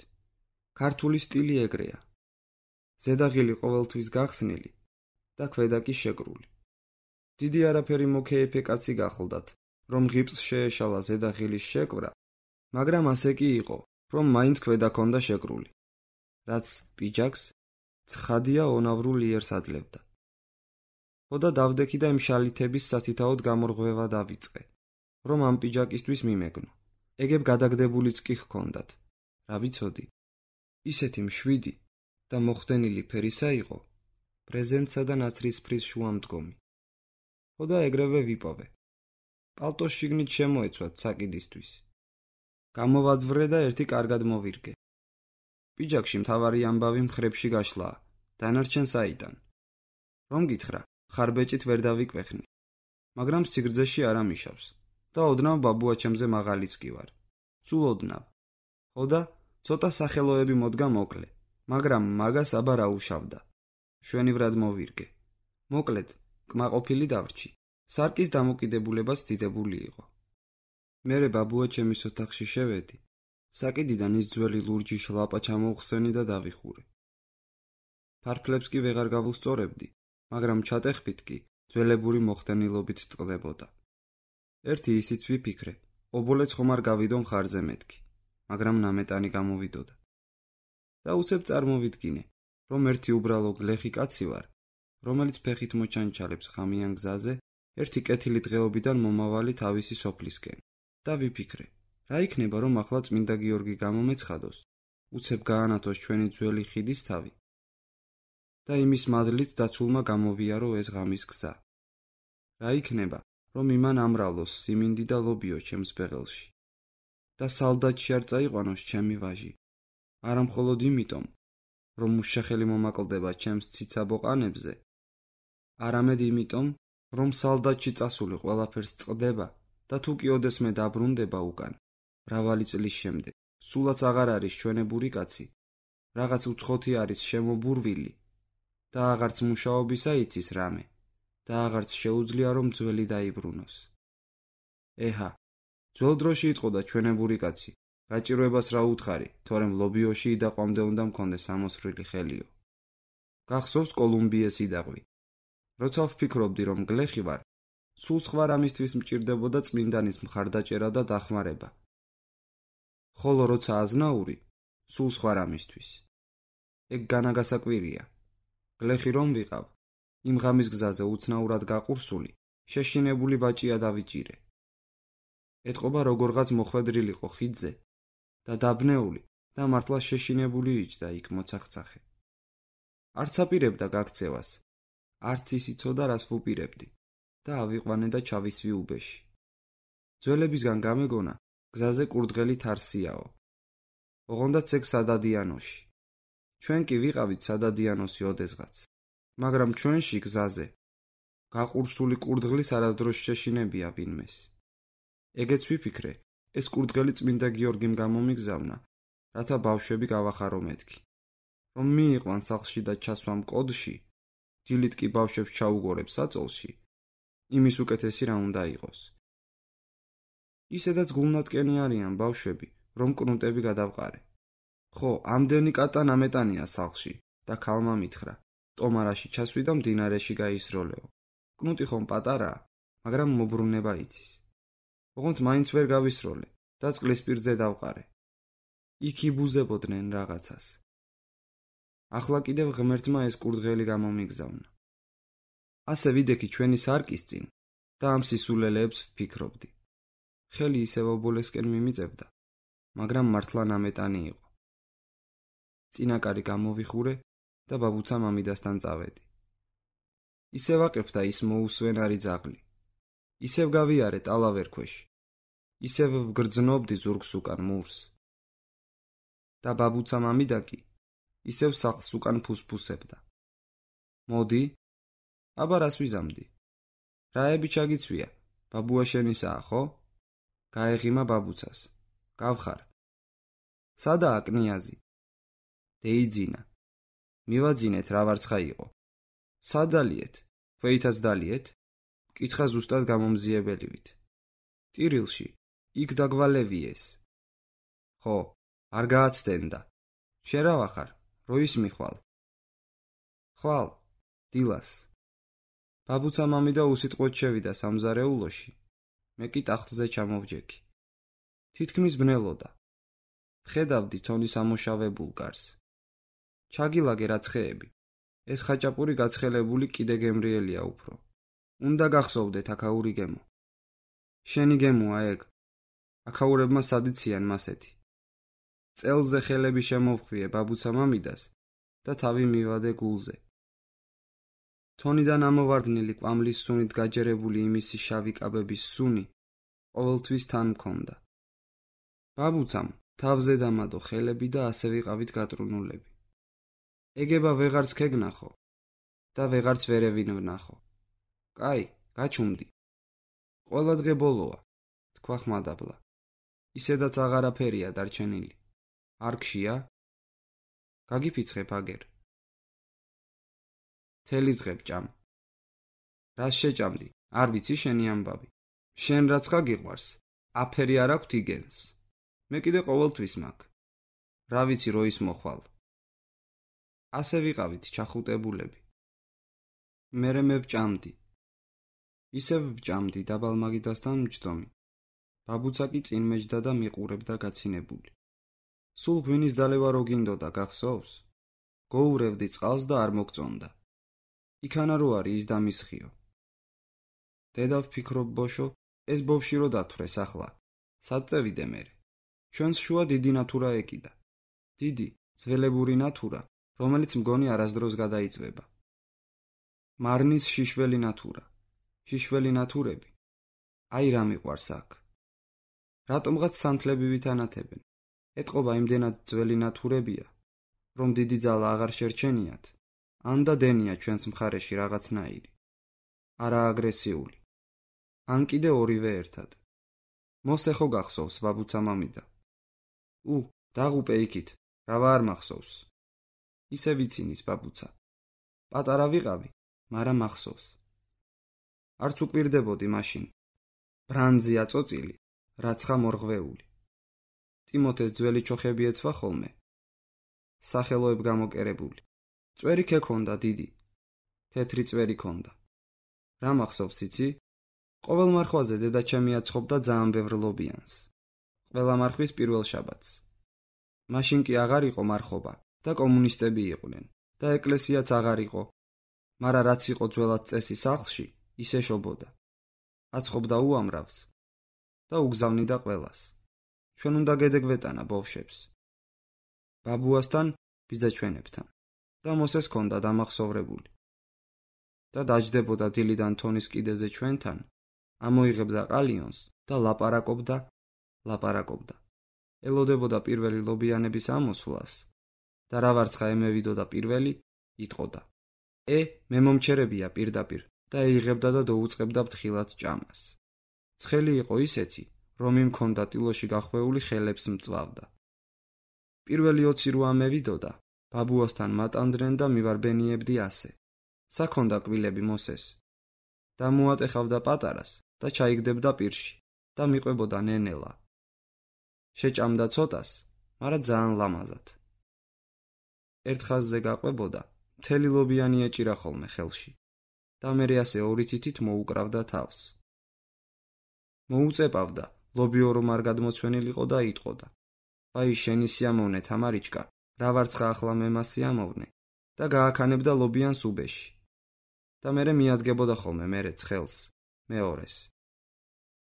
Speaker 1: ქართული სტილი ეგრეა. ზედა ღილი ყოველთვის გახსნილი და ქვედა კი შეკრული. დიდი არაფერი მოკეიფე კაცი გახლდათ, რომ ღიპს შეეშალა ზედა ღილის შეკვრა, მაგრამ ასე კი იყო, რომ მაინც ქვედა ქონდა შეკრული, რაც პიჯაკს ცხადია ონავრულ იერს აძლევდა. ხოდა დავდექი და იმ შალითების სათითაოდ გამორღვევა დავიწყე, რომ ამ პიჯაკისთვის მიმეგნო. ეგებ გადაგდებულიც კი ჰქონდათ. რა ვიცოდი, ისეთი მშვიდი და მოხდენილი ფერისა იყო, პრეზენტსა და ნაცრისფრის შუამდგომი. ხოდა ეგრევე ვიპოვე. პალტოს შიგნით შემოეცვათ საკიდისთვის. გამოვაძვრე და ერთი კარგად მოვირგე. პიჯაკში მთავარი ამბავი მხრებში გაშლაა, დანარჩენ საიდან. რომ გითხრა, ხარბეჭით ვერ დავიკვეხნი, მაგრამ სიგრძეში არ ამიშავს და ოდნავ ბაბუაჩემზე მაღალიც კი ვარ. სულ ოდნავ. ხოდა ცოტა სახელოები მოდგა მოკლე, მაგრამ მაგას აბა რა უშავდა. შვენივრად მოვირგე. მოკლედ, კმაყოფილი დავრჩი. სარკის დამოკიდებულებას დიდებული იყო. მერე ბაბუაჩემის ოთახში შევედი. საკიდიდან ის ძველი ლურჯი შლაპა ჩამოვხსენი და დავიხურე. ფარფლებს კი ვეღარ გავუსწორებდი, მაგრამ ჩატეხვით კი ძველებური მოხდენილობით ტყდებოდა. ერთი ისიც ვიფიქრე, ობოლეც ხომ არ გავიდო მხარზე მეთქი, მაგრამ ნამეტანი გამოვიდოდა. და უცებ წარმოვიდგინე, რომ ერთი უბრალო გლეხი კაცი ვარ, რომელიც ფეხით მოჩანჩალებს ღამიან გზაზე ერთი კეთილი დღეობიდან მომავალი თავისი სოფლისკენ. და ვიფიქრე, რა იქნება, რომ ახლა წმინდა გიორგი გამომეცხადოს, უცებ გაანათოს ჩვენი ძველი ხიდის თავი და იმის მადლით დაცულმა გამოვიარო ეს ღამის გზა. რა იქნება, რომ იმან ამრავლოს სიმინდი და ლობიო ჩემს ბეღელში და სალდატში არ წაიყვანოს ჩემი ვაჟი, არა მხოლოდ იმიტომ, რომ უშახელი მომაკლდება ჩემს ციცაბოყანებზე, არამედ იმიტომ, რომ სალდატში წასული ყველაფერს წყდება და თუ კი ოდესმე დაბრუნდება უკან, მრავალი წლის შემდეგ, სულაც აღარ არის ჩვენებური კაცი, რაღაც უცხოთი არის შემობურვილი და აღარც მუშაობისა იცის რამე და აღარც შეუძლია რომ ძველი დაიბრუნოს. ეჰა, ძველ დროში იტყოდა ჩვენებური კაცი, გაჭირვებას რა უთხარი, თორემ ლობიოში იდაყვამდე უნდა მქონდეს ამოსრული ხელიო. გახსოვს კოლუმბიეს იდაყვი. როცა ვფიქრობდი რომ გლეხი ვარ, სულ სხვა რამისთვის მჭირდებოდა წმინდანის მხარდაჭერა და დახმარება. ხოლო როცა აზნაური, სულ სხვა რამისთვის. ეგ განაგასაკვირია. გლეხი რომ ვიყავ, იმ ღამის გზაზე უცნაურად გაყურსული, შეშინებული ბაჭია დავიჭირე. ეთყობა როგორღაც მოხვედრილიყო ხიდზე და დაბნეული და მართლა შეშინებული იჯდა იქ მოცახცახე. არც აპირებდა გაქცევას, არც ის იცოდა რას ვუპირებდი და ავიყვანე და ჩავისვი უბეში. ძველებისგან გამეგონა გზაზე კურდღელი თარსიაო. ოღონდაც ეგ სადადიანოში. ჩვენ კი ვიყავით სადადიანოსი ოდესღაც, მაგრამ ჩვენში გზაზე გაყურსული კურდღლის არასდროს შეშინებია ვინმეს. ეგეც ვიფიქრე, ეს კურდღელი წმინდა გიორგიმ გამომიგზავნა, რათა ბავშვები გავახარო მეთქი. რომ მიიყვან სახლში და ჩასვამ კოდში, დილით კი ბავშვებს ჩაუგორებს საწოლში, იმის უკეთესი რა უნდა იყოს. ისედაც გულნატკენი არიან ბავშვები, რომ კნუტები გადავყარე. ხო, ამდენი კატა ნამეტანია სახლში და ქალმა მითხრა, ტომარაში ჩასვი და მდინარეში გაისროლეო. კნუტი ხომ პატარაა, მაგრამ მობრუნება იცის. ოღონდ მაინც ვერ გავისროლე და წყლის პირზე დავყარე. იქ იბუზებოდნენ რაღაცას. ახლა კიდევ ღმერთმა ეს კურდღელი გამომიგზავნა. ასე ვიდექი ჩვენი სარკის წინ და ამ სისულელეებს ვფიქრობდი. ხელი ისევ ობოლესკენ მიმიწევდა, მაგრამ მართლა ნამეტანი იყო. წინაკარი გამოვიხურე და ბაბუცა მამიდასთან წავედი. ისევ აყებდა ის მოუსვენარი ძაღლი. ისევ გავიარე ტალავერქვეში. ისევ ვგრძნობდი ზურგს უკან მურს. და ბაბუცა მამიდა კი ისევ სახლს უკან ფუსფუსებდა. მოდი, აბა რას ვიზამდი? რაები ჩაგიცვია, ბაბუა შენისაა, ხო? გაეღიმა ბაბუცას. გავხარ. სადაა კნიაზი? დეიძინა. მივაძინეთ რა ვარცხა იყო. სადალიეთ? ქვეითაც დალიეთ? კითხა ზუსტად გამომძიებელივით. ტირილში, იქ დაგვალევიეს. ხო, არ გააცდენდა. შენ რა ვახარ? როის მიხვალ? ხვალ, დილას. ბაბუცა მამიდა უსიტყვოდ შევიდა სამზარეულოში. მე კი ტახტზე ჩამოვჯექი. თითქმის ბნელოდა. ვხედავდი თონის ამოშავებულ გარს. ჩაგილაგე რაცხეები. ეს ხაჭაპური გაცხელებული კიდე გემრიელია უფრო. უნდა გახსოვდეთ აქაური გემო. შენი გემოა ეგ. აქაურებმა სადიციან მასეთი. წელზე ხელები შემოვხვიე ბაბუცა მამიდას და თავი მივადე გულზე. თონიდან ამოვარდნილი კვამლის სუნით გაჯერებული იმისი შავი კაბების სუნი ყოველთვის თან მქონდა. ბაბუცამ თავზე დამადო ხელები და ასე ვიყავით გატრუნულები. ეგება ვეღარც ქეგნახო და ვეღარც ვერევინ ვნახო. კაი, გაჩუმდი. ყველა დღე ბოლოა, თქვა ხმადაბლა. ისედაც აღარაფერია დარჩენილი. არ გშია? გაგიფიცხებ აგერ. თელი დღე ვჭამ. რას შეჭამდი? არ ვიცი შენი ამბავი. შენ რაც გიყვარს, აფერი არ აქვთ იგენს. მე კიდე ყოველთვის მაქვს. რა ვიცი როის მოხვალ. ასე ვიყავით ჩახუტებულები. მერე მე ვჭამდი. ისევ ვჭამდი დაბალმაგიდასთან მჯდომი. ბაბუცა კი წინ მეჯდა და მიყურებდა გაცინებული. სულ ღვინის დალევა რო გინდოდა გახსოვს? გოურევდი წყალს და არ მოგწონდა. იქანა რო არის ის დამისხიო. დედა ვფიქრობ ბოშო, ეს ბავში რო დათვრეს ახლა. სად წევიდე მერე? ჩვენს შუა დიდი ნათურა ეკიდა. დიდი, ძველებური ნათურა, რომელიც მგონი არასდროს გადაიწვება. მარნის შიშველი ნათურა. შიშველი ნათურები. აი რა მიყვარს აქ. რატომღაც სანთლები ვითანათებენ. ეტყობა იმდენად ძველი ნათურებია, რომ დიდი ძალა აღარ შერჩენიათ, ან და დენია ჩვენს მხარეში რაღაცნაირი. არა აგრესიული. ან კიდე ორივე ერთად. მოსე ხო გახსოვს ბაბუცა მამიდა? დაღუპე იქით, რა არ მახსოვს. ისე ვიცინის ბაბუცა. პატარა ვიყავი, მაგრამ მახსოვს. არც უკვირდებოდი მაშინ. ბრანძი აწოწილი, რაცხა მორღვეული. ტიმოთეს ძველი ჩოხები ეცვა ხოლმე. სახელოებ გამოკერებული. წვერი ქექონდა დიდი. თეთრი წვერი ქონდა. რა მახსოვს იცი? ყოველ მარხვაზე დედაჩემი აცხობდა ძალიან ბევრ ლობიანს. ყველა მარხვის პირველ შაბათს. მაშინ კი აღარ იყო მარხობა და კომუნისტები იყვნენ და ეკლესიაც აღარ იყო, მაგრამ რაც იყო ძველად წესი სახლში, ისე შობოდა. აცხობდა უამრავს და უგზავნიდა ყველას. ჩვენ უნდა გედეგვეტანა ბავშვებს. ბაბუასთან, ბიძაჩვენებთან და მოსეს ქონდა დამახსოვრებული. და დაჯდებოდა დილიდან თონის კიდეზე ჩვენთან, ამოიღებდა ყალიონს და ლაპარაკობდა. ელოდებოდა პირველი ლობიანების ამოსვლას და რა ვარცხა ემევიდოდა პირველი, იტყოდა. მე მომჩერებია პირდაპირ და ეიღებდა და დაუწყებდა ფთხილად ჭამას. ცხელი იყო ისეთი, რომ იმ ქონდა ტილოში გახვეული ხელებს მწვავდა. პირველი 20 რო ამევიდოდა, ბაბუასთან მატანდნენ და მივარბენიებდი ასე. საქონდა კბილები მოსეს. და მოატეხავდა პატარას და ჩაიგდებდა პირში და მიყვებოდა ნენელა. შეჭამდა ცოტას, მაგრამ ძალიან ლამაზად. ერთ ხაზზე გაყვებოდა, მთელი ლობიანი ეჭირა ხოლმე ხელში და მერე ასე ორი თითით მოუკრავდა თავს. მოუწეპავდა, ლობიო რომ არ გადმოცვენილიყო და იტყოდა. აი შენი სიამოვნე თამარიჩკა, რა ვარცხა ახლა მე მასიამოვნე და გააქანებდა ლობიანს უბეში. და მერე მიადგებოდა ხოლმე მერე ცხელს, მეორეს.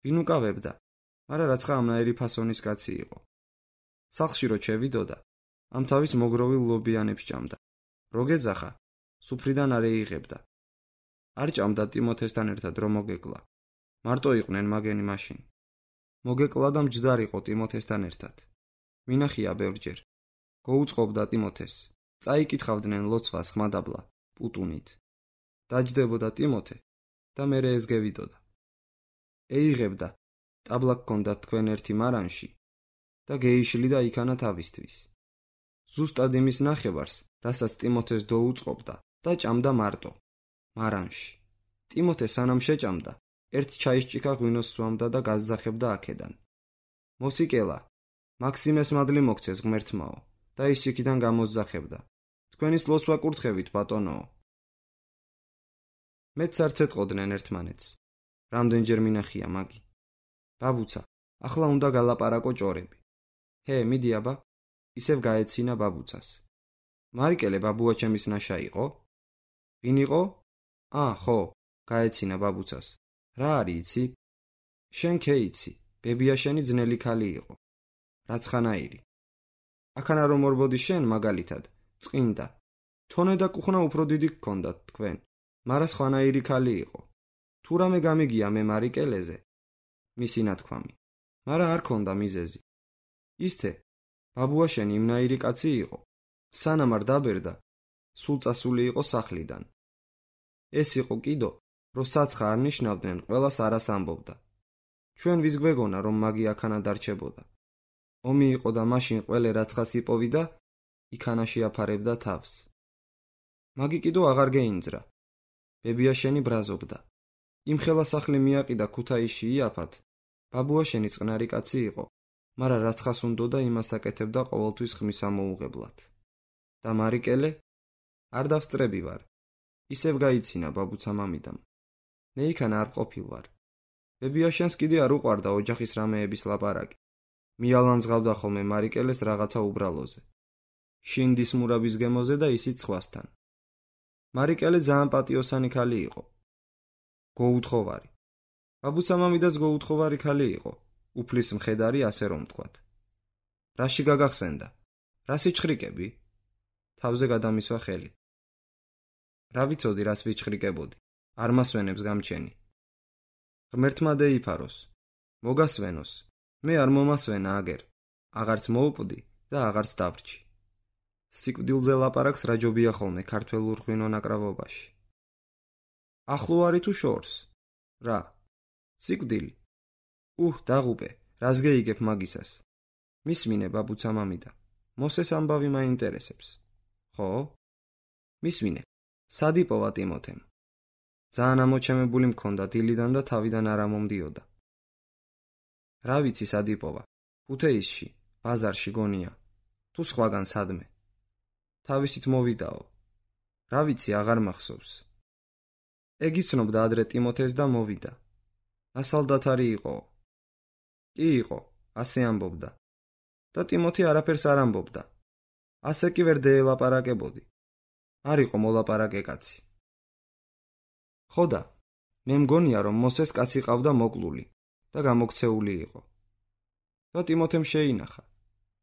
Speaker 1: ვინ უკავებდა, მაგრამ რაცხა ამნაირი ფასონის კაცი იყო. სახლში რო ჩევიდოდა, ამ თავის მოგროვილ ლობიანებს ჭამდა. რო გეძახა, სუფრიდან არ ეიღებდა. არ ჭამდა ტიმოთესთან ერთად რომ მოგეკლა. მარტო იყვნენ მაგენი მაშინ. მოგეკლა და მჯდარიყო ტიმოთესთან ერთად. მინახია ბევრჯერ. გოუწყობდა ტიმოთეს. წაიკითხავდნენ ლოცვას ხმადაბლა, პუტუნით. დაჯდებოდა ტიმოთე და მერე ეს გევიდოდა. ეიღებდა, ტაბლა გქონდა თქვენ ერთი მარანში და გეიშლიდა იქანა თავისთვის. ზუსტად იმის ნახევარს, რასაც ტიმოთეს დაუწყობდა და ჭამდა მარტო, მარანში. ტიმოთე სანამ შეჭამდა, ერთ ჩაისჭიქა ღვინოს სვამდა და გაზახებდა აქედან. მოსიკელა, მაქსიმეს მადლი მოგცეს ღმერთმაო და ის იქიდან გამოზახებდა. თქვენის ლოცვა კურთხევით ბატონო. მეც არც ეტყოდნენ ერთმანეთს. რამდენჯერ მინახია მაგი. ბაბუცა, ახლა უნდა გალაპარაკო ჭორები. მიდი აბა, ისევ გაეცინა ბაბუცას. მარიკელე ბაბუაჩემის ნაშა იყო? ვინ იყო? ხო, გაეცინა ბაბუცას. რა არის იცი? შენ ქეიცი, ბებია შენი ძნელი ქალი იყო. რაცხანაირი. აქანა რომ ორბოდი შენ მაგალითად, წყინდა. თონე და კუხნა უფრო დიდი გქონდათ თქვენ. მარა სხვანაირი ქალი იყო. თუ რამე გამიგია მე მარიკელეზე, მისი ნათქვამი. მარა არ ქონდა მიზეზი. ისთე, ბაბუა შენი იმნაირი კაცი იყო. სანამ არ დაბერდა, სულ წასული იყო სახლიდან. ეს იყო კიდო, რომ საცხა არ ნიშნავდნენ, ყველას არას ამბობდა. ჩვენ ვის გვეგონა, რომ მაგი აქანა დარჩებოდა. ომი იყო და მაშინ ყველე რაცხას იპოვიდა, იქანაში აფარებდა თავს. მაგი კიდო აღარ გეინძრა. ბებია შენი ბრაზობდა. იმ ხელა სახლი მიაყიდა ქუთაისში იაფად. ბაბუა შენი წყნარი კაცი იყო, მაგრამ რაცხას უნდოდა იმას აკეთებდა ყოველთვის ხმის ამოუღებლად. და მარიკელე? არ დავსწრები ვარ. ისევ გაიცინა ბაბუცა მამიდამ. მე იქან არ ყოფილვარ. ბებიაშენს კიდე არ უყვარდა ოჯახის რამეების ლაპარაკი. მიალანძღავდა ხოლმე მარიკელეს რაღაცა უბრალოზე. შინდის მურაბის გემოზე და ისიც სხვასთან. მარიკელე ძალიან პატიოსანი ქალი იყო. გოუთხოვარი. ბაბუცამამიდაც გოუთხოვარი ქალი იყო. უფლის მხედარი, ასე რომ ვთქვათ. რაში გაგახსენდა? რა სიჩხრიკები? თავზე გადამისვა ხელი. რა ვიცოდი, რას ვიჩხრიკებოდი. არ მასვენებს გამჩენი. ღმერთმა დაიფაროს. მოგასვენოს. მე არ მომასვენა აგერ. აღარც მოვკვდი და აღარც დავრჩი. სიკვდილზე ლაპარაკს რაჯობია ხოლმე ქართველურ ღვინო ნაკრავობაში. ახლო არი თუ შორს? რა? სიკვდილი? დაღუპე, რას გეიგებ მაგისას? მისმინე ბაბუცამამიდა. მოსეს ამბავი მაინტერესებს. ხო? მისმინე. სად იპოვა ტიმოთემ? ძალიან ამოჩემებული მქონდა დილიდან და თავიდან არ ამომდიოდა. რა ვიცი სად იპოვა? ქუთეისში, ბაზარში გონია. თუ სხვაგან სადმე. თავისით მოვიდაო. რა ვიცი, აღარ მახსოვს. ეგ იცნობდა ადრე ტიმოთეს და მოვიდა. ასალდათარი იყო. კი იყო, ასე ამბობდა. და ტიმოთე არაფერს არ ამბობდა. ასე კი ვერ დაელაპარაკებოდი. არ იყო მოლაპარაკე კაცი. ხოდა, მე მგონია რომ მოსეს კაცი ყავდა მოკლული და გამოქცეული იყო. და ტიმოთემ შეინახა.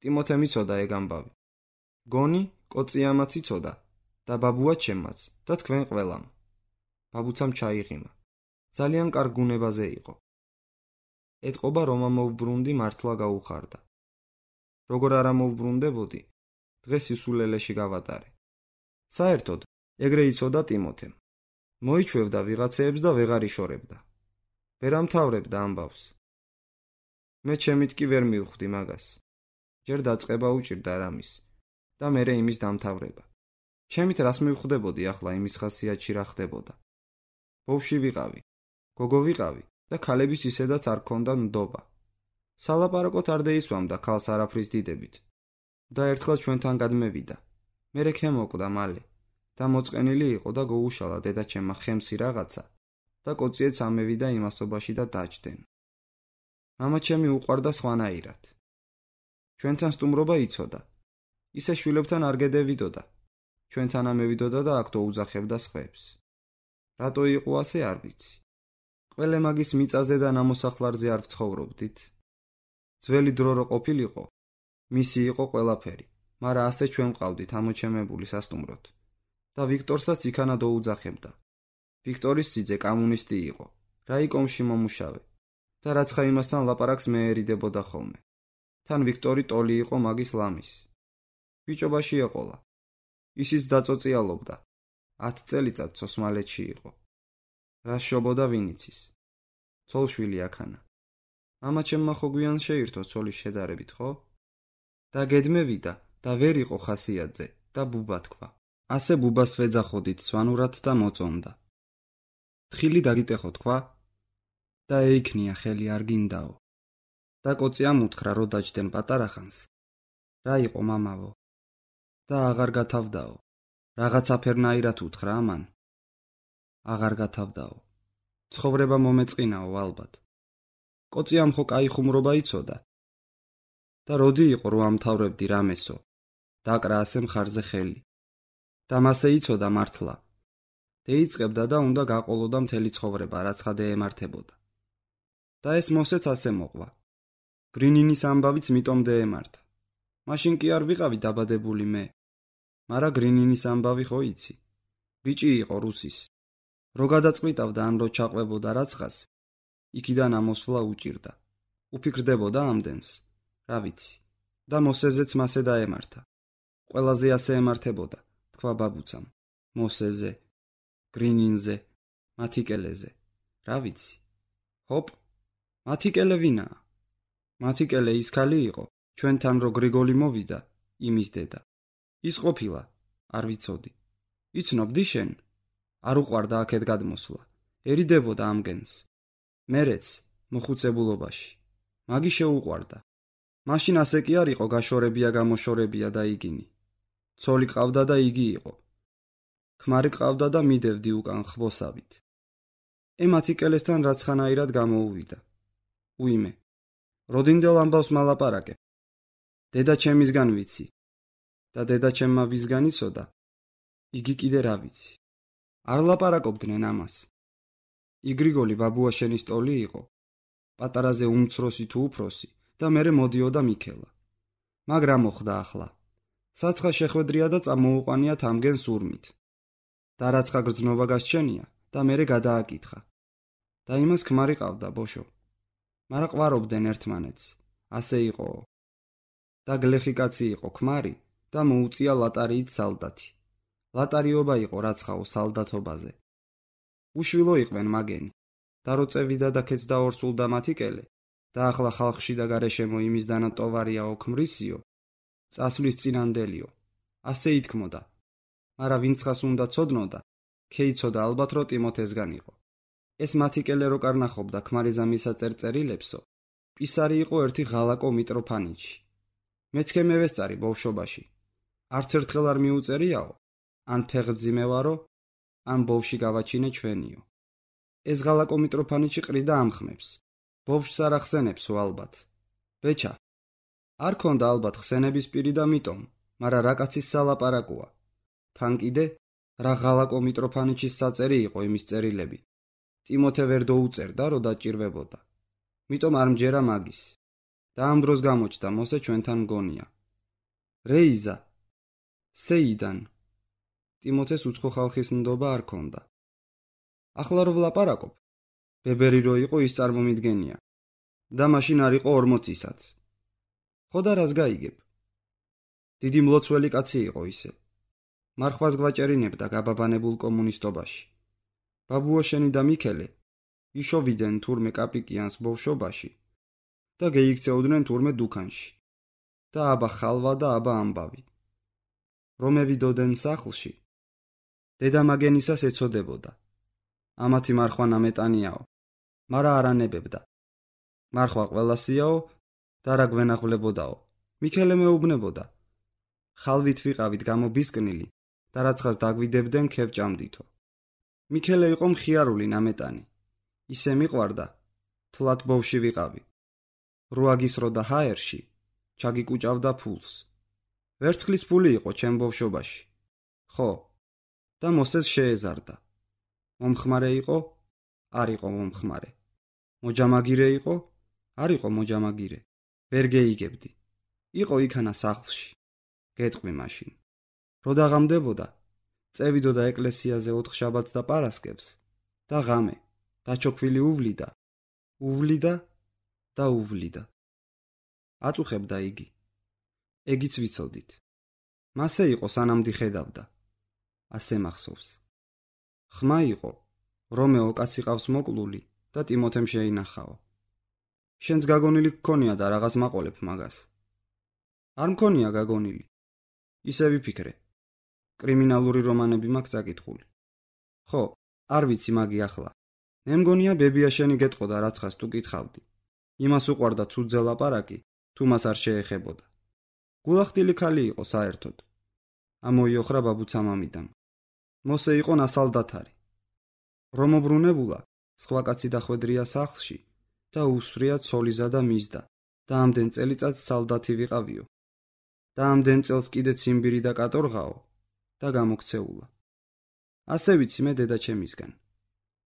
Speaker 1: ტიმოთემ იცოდა ეგ ამბავი. გონი, კოწიამაც იცოდა და ბაბუა ჩემმაც და თქვენ ყველამ. ბაბუცამ ჩაიღიმა. ძალიან კარგ გუნებაზე იყო. ეთყობა რომ ამოვბრუნდი მართლა გაუხარდა. როგორ არ ამოვბრუნდებოდი, დღეს ისულელეში გავატარე. საერთოდ, ეგრე იცოდა ტიმოთემ. მოიჩვევდა ვიღაცეებს და ვეღარ იშორებდა. ვერ ამთავრებდა ამბავს. მე ჩემით კი ვერ მივხვდი მაგას. ჯერ დაწყება უჭირდა რამის და მერე იმის დამთავრება. ჩემით რას მივხვდებოდი ახლა იმის ხასიათში რა ხდებოდა. ბავში ვიყავი, გოგო ვიყავი და ქალების ისედაც არ ქონდა ნდობა. სალაპარაკოთ არ დაისვამდა ქალს არაფრის დიდებით. და ერთხელ ჩვენთან გადმევიდა. მერე ქემოკვდა მალე და მოწყენილი იყო და გოუშალა დედაჩემმა ხემსი რაღაცა და კოციეც ამევიდა იმასობაში და დაჯდნენ. მამაჩემი უყვარდა სხვანაირად. ჩვენთან სტუმრობა იცოდა. ისე შვილებთან არ გედევიდოდა. ჩვენთან ამევიდოდა და აქ დაუძახებდა სხვებს. რატო იყო ასე არ ვიცი. ყველე მაგის მიწაზე და ნამოსახლარზე არ ვცხოვრობდით. ძველი დრო რო ყოფილიყო, მისი იყო ყველაფერი, მაგრამ ასე ჩვენ ვყავდით ამოჩემებული სასტუმროდ. და ვიქტორსაც იქანა დაუძახებდა. ვიქტორის ძიძე კომუნისტი იყო, რაიკომში მომუშავე და რაცხა იმასთან ლაპარაკს მეერიდებოდა ხოლმე. თან ვიქტორი ტოლი იყო მაგის ლამის. ბიჭობაში ეყოლა. ისიც დაწოწიალობდა. 10 წელიწად ოსმალეთში იყო. რა შობოდა ვინ იცის. ცოლშვილი აქანა. მამაჩემმა ხო გვიან შეირთო ცოლის შედარებით, ხო? და გედმევიდა და ვერ იყო ხასიათზე და ბუბა თქვა. ასე ბუბას ვეძახოდით სვანურად და მოწონდა. თხილი დაგიტეხო თქვა და ეიქნია ხელი არ გინდაო. და კოწიამ უთხრა რო დაჯდნენ პატარა ხანს. რა იყო მამავო? და აღარ გათავდაო. რაღაცა ფერნაირად უთხრა ამან. აღარ გათავდაო. ცხოვრება მომეწყინაო ალბათ. კოწიამ ხო კაი ხუმრობა იცოდა. და როდი იყო რო ამთავრებდი რამესო. დაკრა ასე მხარზე ხელი. და მასე იცოდა მართლა. დაიწყებდა და უნდა გაყოლოდა მთელი ცხოვრება, რაც ხა დაემართებოდა. და ეს მოსეც ასე მოყვა. გრინინის ამბავიც მიტომ დაემართა. მაშინ კი არ ვიყავი დაბადებული მე. მარა გრინინის ამბავი ხო იცი. ბიჭი იყო რუსის. რო გადაწყვიტავდა ან რო ჩაყვებოდა რაცხას, იქიდან ამოსვლა უჭირდა. უფიქრდებოდა ამდენს. რა ვიცი. და მოსეზეც მასე დაემართა. ყველაზე ასე ემართებოდა, თქვა ბაბუცამ. მოსეზე, გრინინზე, მათიკელეზე. რა ვიცი. ჰოპ, მათიკელე ვინაა? მათიკელე ის ქალი იყო, ჩვენთან რო გრიგოლი მოვიდა, იმის დედა. ის ყოფილა, არ ვიცოდი. იცნობდი შენ? არ უყვარდა აქეთ გადმოსვლა. ერიდებოდა ამგენს. მერეც, მოხუცებულობაში. მაგი შეუყვარდა. მაშინ ასე კი არ იყო გაშორებია გამოშორებია და იგინი. ცოლი ყავდა და იგი იყო. ქმარი ყავდა და მიდევდი უკან ხბოსავით. მათიკელესთან რაც ხანაირად გამოუვიდა. უიმე, როდინდელ ამბავს მალაპარაკებ. დედა ჩემისგან ვიცი და დედა ჩემმა ვისგან იცოდა, იგი კიდე რა ვიცი. არ ლაპარაკობდნენ ამას. იგრიგოლი ბაბუაშენის ტოლი იყო, პატარაზე უმცროსი თუ უფროსი და მერე მოდიოდა მიქელა. მაგრამ მოხდა ახლა. საცხა შეხვედრია და წამოუყვანია თამგენ სურმით. და რაცხა გრძნობა გასჩენია და მერე გადააკითხა. და იმას ქმარი ყავდა ბოშო. მარა ყვარობდნენ ერთმანეთს. ასე იყო. და გლეხი კაცი იყო ქმარი და მოუწია ლატარიით სალდათი. ლატარიობა იყო რაცხაო სალდათობაზე. უშვილო იყვნენ მაგენი. და რო წევიდა და ქეცდა ორსულდა მათიკელე და ახლა ხალხში და გარეშემო იმისდანა ტოვარიაო ქმრისიო, წასვლის წინანდელიო. ასე ითქმოდა. მარა ვინცხას უნდა ცოდნოდა, ქეიცოდა ალბათ რო ტიმოთესგან იყო. ეს მათიკელე რო კარნახობდა ქმარიზამისა წერწერილებსო, პისარი იყო ერთი ღალაკო მიტროფანიჩი. მეცქე მევესწარი ბავშვობაში. არც ერთხელ არ მიუწერიაო, ან ფეხბძიმე ვარო, ან ბავში გავაჩინე ჩვენიო. ეს ღალაკო მიტროფანიჩი ყრიდა ამხმებს. ბავშვს არ ახსენებსო ალბათ. ბეჩა, არ ქონდა ალბათ ხსენების პირი და მიტომ, მარა რა კაცის სალაპარაკოა. თან კიდე რა ღალაკო მიტროფანიჩის საწერი იყო იმის წერილები. ტიმოთე ვერ დაუწერდა, რო დაჭირვებოდა. მიტომ არ მჯერა მაგის. და ამ დროს გამოჩნდა მოსე ჩვენთან მგონია. რეიზა, სეიდან. ტიმოთეს უცხო ხალხის ნდობა არ ქონდა. ახლა რო ვლაპარაკობ, ბებერი რო იყო ის წარმომიდგენია. და მაშინ არ იყო 40-ისაც. ხო და რას გაიგებ? დიდი მლოცველი კაცი იყო ისე. მარხვას გვაჭერინებდა გაბაბანებულ კომუნისტობაში. ბაბუაშენი და მიქელე იშოვიდნენ თურმე კაპიკიანს ბავშვობაში და გეიქცეოდნენ თურმე დუქანში. და აბა ხალვა და აბა ამბავი. რომევიდოდენ სახლში. დედა მაგენისას ეცოდებოდა. ამათი მარხვა ნამეტანიაო, მარა არანებებდა. მარხვა ყველასიაო და რა გვენახვლებოდაო. მიქელე მეუბნებოდა. ხალვით ვიყავით გამობისკნილი და რაცხას დაგვიდებდნენ ქევჭამდითო. მიქელე იყო მხიარული ნამეტანი. ისე მიყვარდა, თლათ ბავში ვიყავი. როაგისრო და ჰაერში ჩაგიკუჭავდა ფულს. ვერცხლის ფული იყო ჩემ ბავშვობაში. ხო, და მოსეს შეეზარდა. მომხმარე იყო? არ იყო მომხმარე. მოჯამაგირე იყო? არ იყო მოჯამაგირე. ვერ გეიგებდი. იყო იქანა სახლში. გეტყვი მაშინ. რო დაღამდებოდა, წევიდოდა ეკლესიაზე 4 შაბათს და პარასკევს და ღამე, დაჩოქვილი უვლიდა. უვლიდა და უვლიდა. აწუხებდა იგი. ეგიც ვიცოდით. მასე იყო სანამ დიხედავდა. ასე მახსოვს. ხმა იყო, რომეო კაცი ყავს მოკლული და ტიმოთემ შეინახაო. შენც გაგონილი გქონია და რაღაც მაყოლებ მაგას. არ მქონია გაგონილი. ისე ვიფიქრე. კრიმინალური რომანები მაქვს საკითხული. ხო, არ ვიცი მაგი ახლა. მე მგონია ბებიაშენი გეტყოდა რაცხას თუ კითხავდი. იმას უყვარდა ცუძე ლაპარაკი, თუ მას არ შეეხებოდა. გულახდილი ქალი იყო საერთოდ. ამოიოხრა ბაბუცა მამიდამ. მოსე იყო ნასალდათარი. რომობრუნებულა, სხვა კაცი დახვედრია სახლში და უსვრია ცოლიზა და მისდა და ამდენ წელიწადს სალდათი ვიყავიო. და ამდენ წელს კიდე ციმბირი და კატორღაო და გამოქცეულა. ასე ვიცი მე დედა ჩემისგან.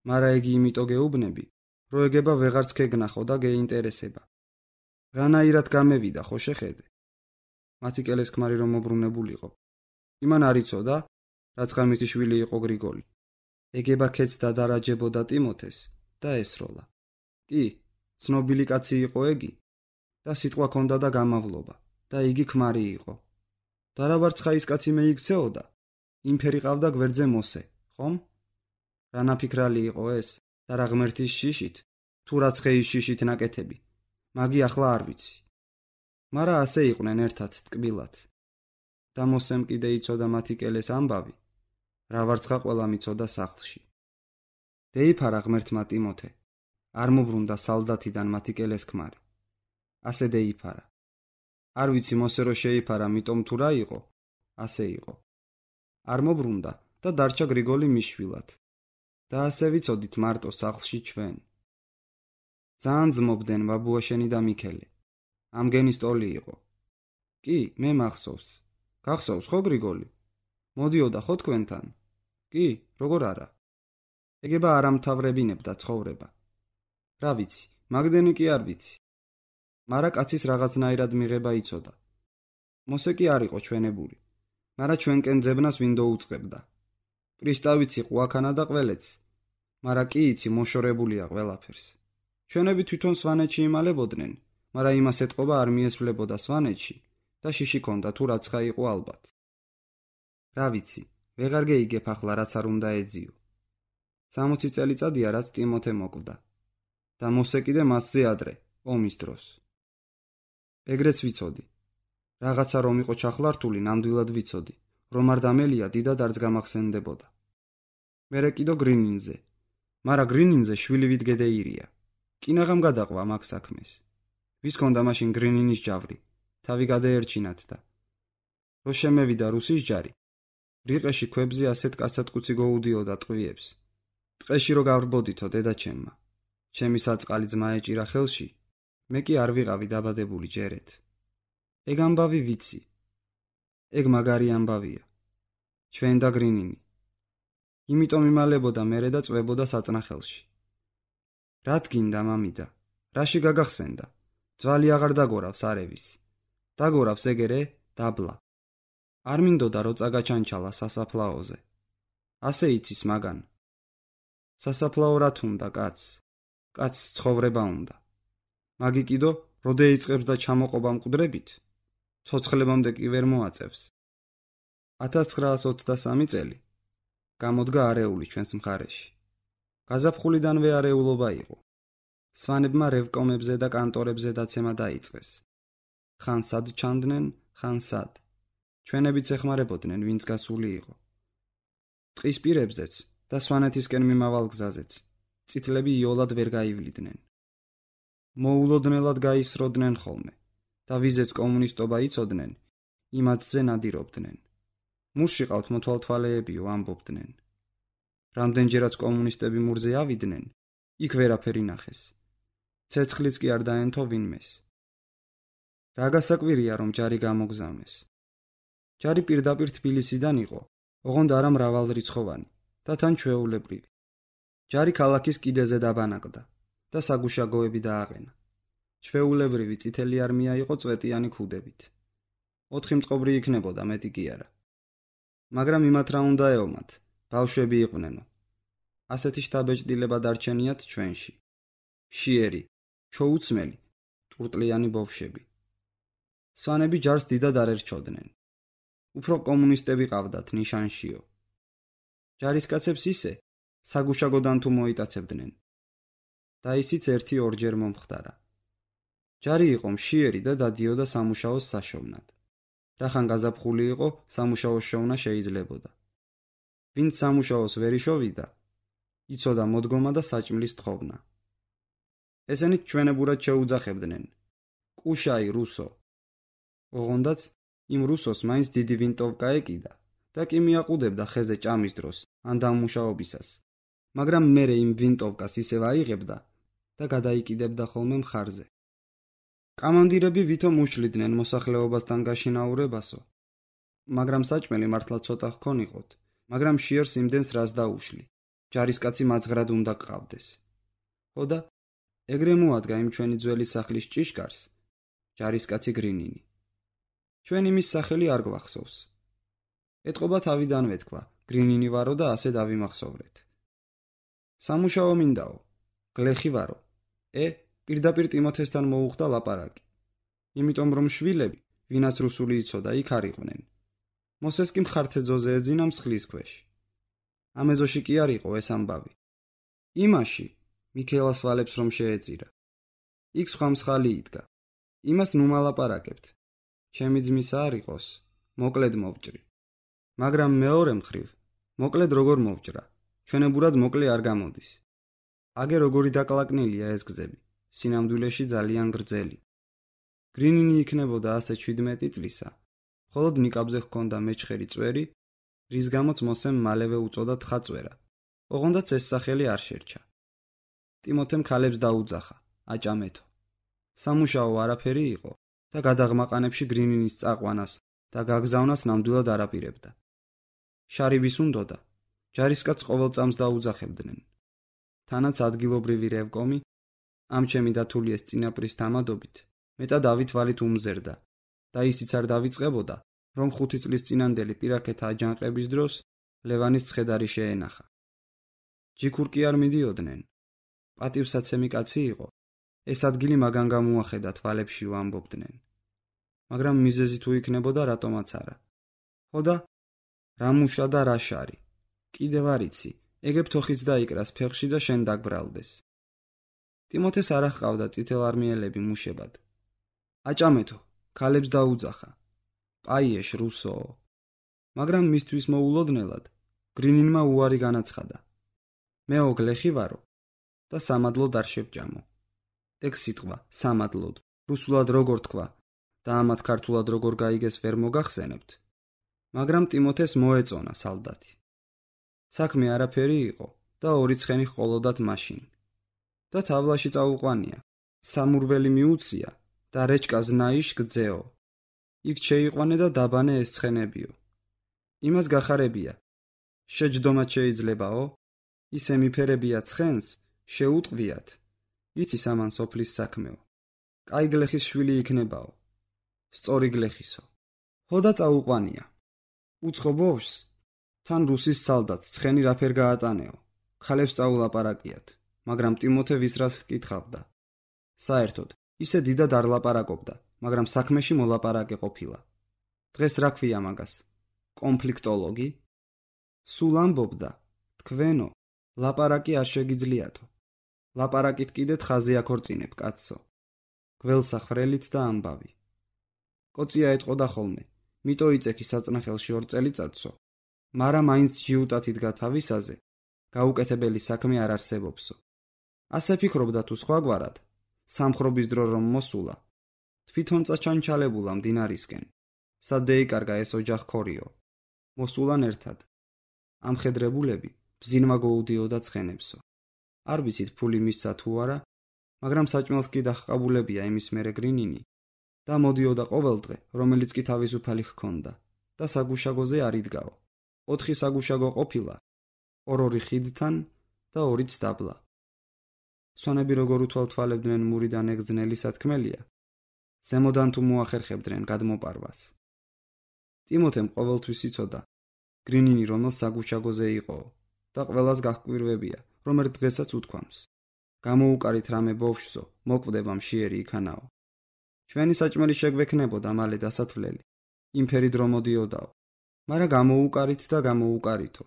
Speaker 1: მარა იგი იმიტო გეუბნები, რო ეგება ვეღარც ქეგნახო და გეინტერესება. რანაირად გამევიდა ხო შეხედე. მათიკელეს ქმარი რომ მობრუნებულიყო. იმან არ იცოდა, რაც ხამისი შვილი იყო გრიგოლი. ეგება ქეცდა და დარაჯებოდა ტიმოთეს და ესროლა. კი, ცნობილი კაცი იყო ეგი და სიტყვა ქონდა და გამავლობა და იგი ქმარი იყო. და რა ვარცხა ის კაცი მეიქცეოდა, იმფერი ყავდა გვერდზე მოსე, ხომ? რა ნაფიქრალი იყო ეს და რა ღმერთის შიშით, თუ რაცხეის შიშით ნაკეთები, მაგი ახლა არ ვიცი. მარა ასე იყვნენ ერთად ტკბილად. და მოსემ კიდე იცოდა მათიკელეს ამბავი, რა ვარცხა ყველა მიცოდა სახლში. დეიფარა ღმერთმა ტიმოთე, არ მობრუნდა სალდათიდან მათიკელეს ქმარი. ასე დეიფარა. არ ვიცი მოსე რო შეიფარა, მიტომ თუ რა იყო, ასე იყო. არ მობრუნდა და დარჩა გრიგოლი მიშვილად. და ასე ვიცოდით მარტო სახლში ჩვენ. ძალიან ძმობდნენ ბაბუაშენი და მიქელე. ამგენი სტოლი იყო. კი, მე მახსოვს. გახსოვს ხო გრიგოლი? მოდიოდა ხო თქვენთან? კი, როგორ არა? ეგება არ ამთავრებინებდა ცხოვრება. რა ვიცი, მაგდენი კი არ ვიცი. მარა კაცის რაღაცნაირად მიღება იცოდა. მოსე კი არ იყო ჩვენებული, მარა ჩვენკენ ძებნას ვინდო უწყებდა. პრისტავიც იყო აქანა და ყველეც, მარა კი იცი მოშორებულია ყველაფერს. ჩვენები თვითონ სვანეთში იმალებოდნენ, მარა იმას ეთყობა არ მიესვლებოდა სვანეთში და შიში ქონდა თუ რაცხა იყო ალბათ. რა ვიცი, ვეღარ გეიგებ ახლა რაც არ უნდა ეძიო. 60 წელიწადია რაც ტიმოთე მოკვდა და მოსე კიდე მასზე ადრე, ომის დროს. ეგრეც ვიცოდი. რაღაცა რომ იყო ჩახლართული, ნამდვილად ვიცოდი, რომ არ დამელია დიდად არც გამახსენდებოდა. მერე კიდო გრინინზე, მარა გრინინზე შვილი ვიდგედეირია. კინაღამ გადაყვა მაგ საქმეს. ვის ქონდა მაშინ გრინინის ჯავრი, თავი გადაერჩინათ და რო შემევიდა რუსის ჯარი, რიყეში ქვებზე ასეთ კაცათკუცი გოუდიოდა ტყვიებს. ტყეში რო გავრბოდითო დედაჩემმა, ჩემი საწყალი ძმა ეჭირა ხელში, მე კი არ ვიყავი დაბადებული ჯერეთ. ეგ ამბავი ვიცი. ეგ მაგარი ამბავია. ჩვენ და გრინინი. იმიტომ იმალებოდა მერე და წვებოდა საწნახელში. რა თქინდა მამიდა? რაში გაგახსენდა? ძვალი აღარ დაგორავს არევის. დაგორავს ეგერე დაბლა. არ მინდოდა რო წაგაჩანჩალა სასაფლაოზე. ასე იცის მაგან. სასაფლაო რა თუნდა კაცს? კაცს ცხოვრება უნდა. მაგი კიდო რო დაიწყებს და ჩამოყობა მკვდრებით, ცოცხლებამდე კი ვერ მოაწევს. 1923 წელი გამოდგა არეული ჩვენს მხარეში. გაზაფხულიდანვე არეულობა იყო. სვანებმა რევკომებზე და კანტორებზე დაცემა დაიწყეს. ხან სად ჩანდნენ, ხან სად. ჩვენებიც ეხმარებოდნენ, ვინც გასული იყო. ტყის პირებზეც და სვანეთისკენ მიმავალ გზაზეც წითლები იოლად ვერ გაივლიდნენ. მოულოდნელად გაისროდნენ ხოლმე და ვიზეც კომუნისტობა იცოდნენ, იმათზე ნადირობდნენ. მურში ყავთ მოთვალთვალეებიო ამბობდნენ. რამდენჯერაც კომუნისტები მურზე ავიდნენ, იქ ვერაფერი ნახეს. ცეცხლიც კი არ დაენთო ვინმეს. რა გასაკვირია რომ ჯარი გამოგზავნეს. ჯარი პირდაპირ თბილისიდან იყო, ოღონდ არა მრავალრიცხოვანი და თან ჩვეულებრივი. ჯარი ქალაქის კიდეზე დაბანაკდა და საგუშაგოები დააყენა. ჩვეულებრივი წითელი არმია იყო წვეტიანი ქუდებით. 4 მწყობრი იქნებოდა, მეტი კი არა. მაგრამ იმათ რა უნდა ეომათ, ბავშვები იყვნენო. ასეთი შთაბეჭდილება დარჩენიათ ჩვენში. მშიერი, ჩოუცმელი, ტურტლიანი ბავშვები. სვანები ჯარს დიდად არ ერჩოდნენ. უფრო კომუნისტები ყავდათ ნიშანშიო. ჯარისკაცებს ისე საგუშაგოდან თუ მოიტაცებდნენ. და ისიც 1-2 მომხდარა. ჯარი იყო მშიერი და დადიოდა სამუშაოს საშოვნად. რახან გაზაფხული იყო, სამუშაოს შოვნა შეიძლებოდა. ვინც სამუშაოს ვერ იშოვიდა, იცოდა მოდგომა და საჭმლის თხოვნა. ესენი ჩვენებურად შეუძახებდნენ. კუშაი რუსო. ოღონდაც იმ რუსოს მაინც დიდი ვინტოვკა ეკიდა და კი მიაყუდებდა ხეზე ჭამის დროს ან დამუშაობისას. მაგრამ მერე იმ ვინტოვკას ისევ აიღებდა და გადაიკიდებდა ხოლმე მხარზე. კამანდირები ვითომ უშლიდნენ მოსახლეობასთან გაშინაურებასო. მაგრამ საჭმელი მართლა ცოტა ჰქონიყოთ, მაგრამ მშიერს იმდენს რას დაუშლი. ჯარისკაცი მაძღრად უნდა გყავდეს. ხო და ეგრე მოადგა იმ ჩვენი ძველი სახლის ჭიშკარს ჯარისკაცი გრინინი. ჩვენ იმის სახელი არ გვახსოვს. ეთყობა თავიდანვე თქვა, გრინინი ვარო და ასე დავიმახსოვრეთ. სამუშაო მინდაო, გლეხი ვარო. პირდაპირ ტიმოთესთან მოუხდა ლაპარაკი. იმიტომ რომ შვილები, ვინაც რუსული იცოდა, იქ არ იყვნენ. მოსეს კი მხართეძოზე ეძინა მსხლის ქვეშ. ამ ეზოში კი არ იყო ეს ამბავი. იმაში მიქელას ვალებს რომ შეეწირა. იქ სხვა მსხალი იდგა. იმას ნუ მალაპარაკებთ. ჩემი ძმისა არ იყოს, მოკლედ მოვჭრი. მაგრამ მეორე მხრივ, მოკლედ როგორ მოვჭრა, ჩვენებურად მოკლე არ გამოდის. აგე როგორი დაკლაკნილია ეს გზები, სინამდვილეში ძალიან გრძელი. გრინინი იქნებოდა ასე 17 წლისა, მხოლოდ ნიკაბზე ჰქონდა მეჩხერი წვერი, რის გამოც მოსემ მალევე უწოდა თხაწვერა, ოღონდაც ეს სახელი არ შერჩა. ტიმოთემ ქალებს დაუძახა, აჭამეთო. სამუშაო არაფერი იყო და გადაღმაყანებში გრინინის წაყვანას და გაგზავნას ნამდვილად არაპირებდა. შარივის უნდოდა, ჯარისკაცს ყოველ წამს დაუძახებდნენ. თანაც ადგილობრივი რევკომი ამ ჩემი დათულიეს წინაპრის თამადობით მეტად ავითვალით უმზერდა და ისიც არ დავიწყებოდა, რომ 5 წლის წინანდელი პირაქეთა აჯანყების დროს ლევანის ცხედარი შეენახა. ჯიქურ კი არ მიდიოდნენ. პატივსაცემი კაცი იყო. ეს ადგილი მაგან გამოახედა თვალებში ვამბობდნენ. მაგრამ მიზეზი თუ იქნებოდა რატომაც არა. ხოდა რა მუშა და რა შარი. კიდევ არ იცი, ეგებ თოხიც დაიკრას ფეხში და შენ დაგბრალდეს. ტიმოთეს არ ჰყავდა წითელარმიელები მუშებად. აჭამეთო, ქალებს დაუძახა. პაიეშ რუსო. მაგრამ მისთვის მოულოდნელად გრინინმა უარი განაცხადა. მეო გლეხი ვარო და სამადლოდ არ შევჭამო. ეგ სიტყვა სამადლოდ რუსულად როგორ თქვა და ამათ ქართულად როგორ გაიგეს ვერ მოგახსენებთ. მაგრამ ტიმოთეს მოეწონა სალდათი. საქმე არაფერი იყო და 2 ცხენი ჰყოლოდათ მაშინ. და თავლაში წაუყვანია. სამურველი მიუცია და რეჩკას ნაიშ გძეო. იქ შეიყვანე და დაბანე ეს ცხენებიო. იმას გახარებია. შეჯდომად შეიძლებაო? ისე მიფერებია ცხენს, შეუტყვიათ. იცი სამან სოფლის საქმეო. კაი გლეხის შვილი იქნებაო. სწორი გლეხისო. ხოდა წაუყვანია. უცხო ბოშს თან რუსის სალდათს ცხენი რაფერ გაატანეო. ქალებს წაულაპარაკიათ, მაგრამ ტიმოთე ვისრას ჰკითხავდა. საერთოდ, ისე დიდად არ ლაპარაკობდა, მაგრამ საქმეში მოლაპარაკე ყოფილა. დღეს რა ქვია მაგას? კონფლიქტოლოგი? სულ ამბობდა, თქვენო, ლაპარაკი არ შეგიძლიათო. ლაპარაკით კიდეთ ხაზი აქორწინებ, კაცო. გველსახრელით და ამბავი. კოცია ეტყოდა ხოლმე, მიტო იწექი საწნახელში 2 წელიწადსო, მაგრამ მაინც ჯიუტად იდგა თავისაზე, გაუკეთებელი საქმე არ არსებობსო. ასე ფიქრობდა თუ სხვაგვარად, სამხრობის დრო რომ მოსულა, თვითონ წაჩანჩალებულა მდინარისკენ, სად დაიკარგა ეს ოჯახ ქორიო. მოსულან ერთად. ამხედრებულები ბზინვა გოუდიოდა ცხენებსო. არ ვიცით ფული მისცა თუ არა, მაგრამ საჭმელს კი დაჰყაბულებია იმის მერე გრინინი და მოდიოდა ყოველ დღე, რომელიც კი თავისუფალი ჰქონდა და საგუშაგოზე არ იდგაო. 4 საგუშაგო ყოფილა, 2 ხიდთან და 2 დაბლა. სონები როგორ უთვალთვალებდნენ მურიდან ეგძნელი სათქმელია, ზემოდან თუ მოახერხებდნენ გადმოპარვას. ტიმოთემ ყოველთვის იცოდა, გრინინი რომელ საგუშაგოზე იყო და ყველას გაჰკვირვებია, რომ ერთ დღესაც უთქვამს. გამოუკარით რამე ბავშვსო, მოკვდება მშიერი იქანაო. ჩვენი საჭმელი შეგვექნებოდა მალე დასათვლელი. იმფერი დრო მოდიოდაო. მაგრამ გამოუკარით და გამოუკარითო.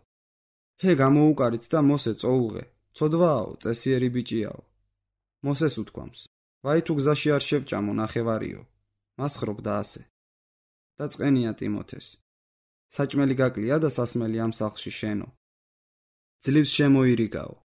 Speaker 1: ჰე გამოუკარით და მოსე წოუღე, ცოდვაო, წესიერი ბიჭიაო. მოსეს უთქვამს. ვაი თუ გზაში არ შევჭამო ნახევარიო. მას ხრობდა ასე. და წყენია ტიმოთეს. საჭმელი გაკლია და სასმელი ამ სახლში შენო. ძლივს შემოირიგაო.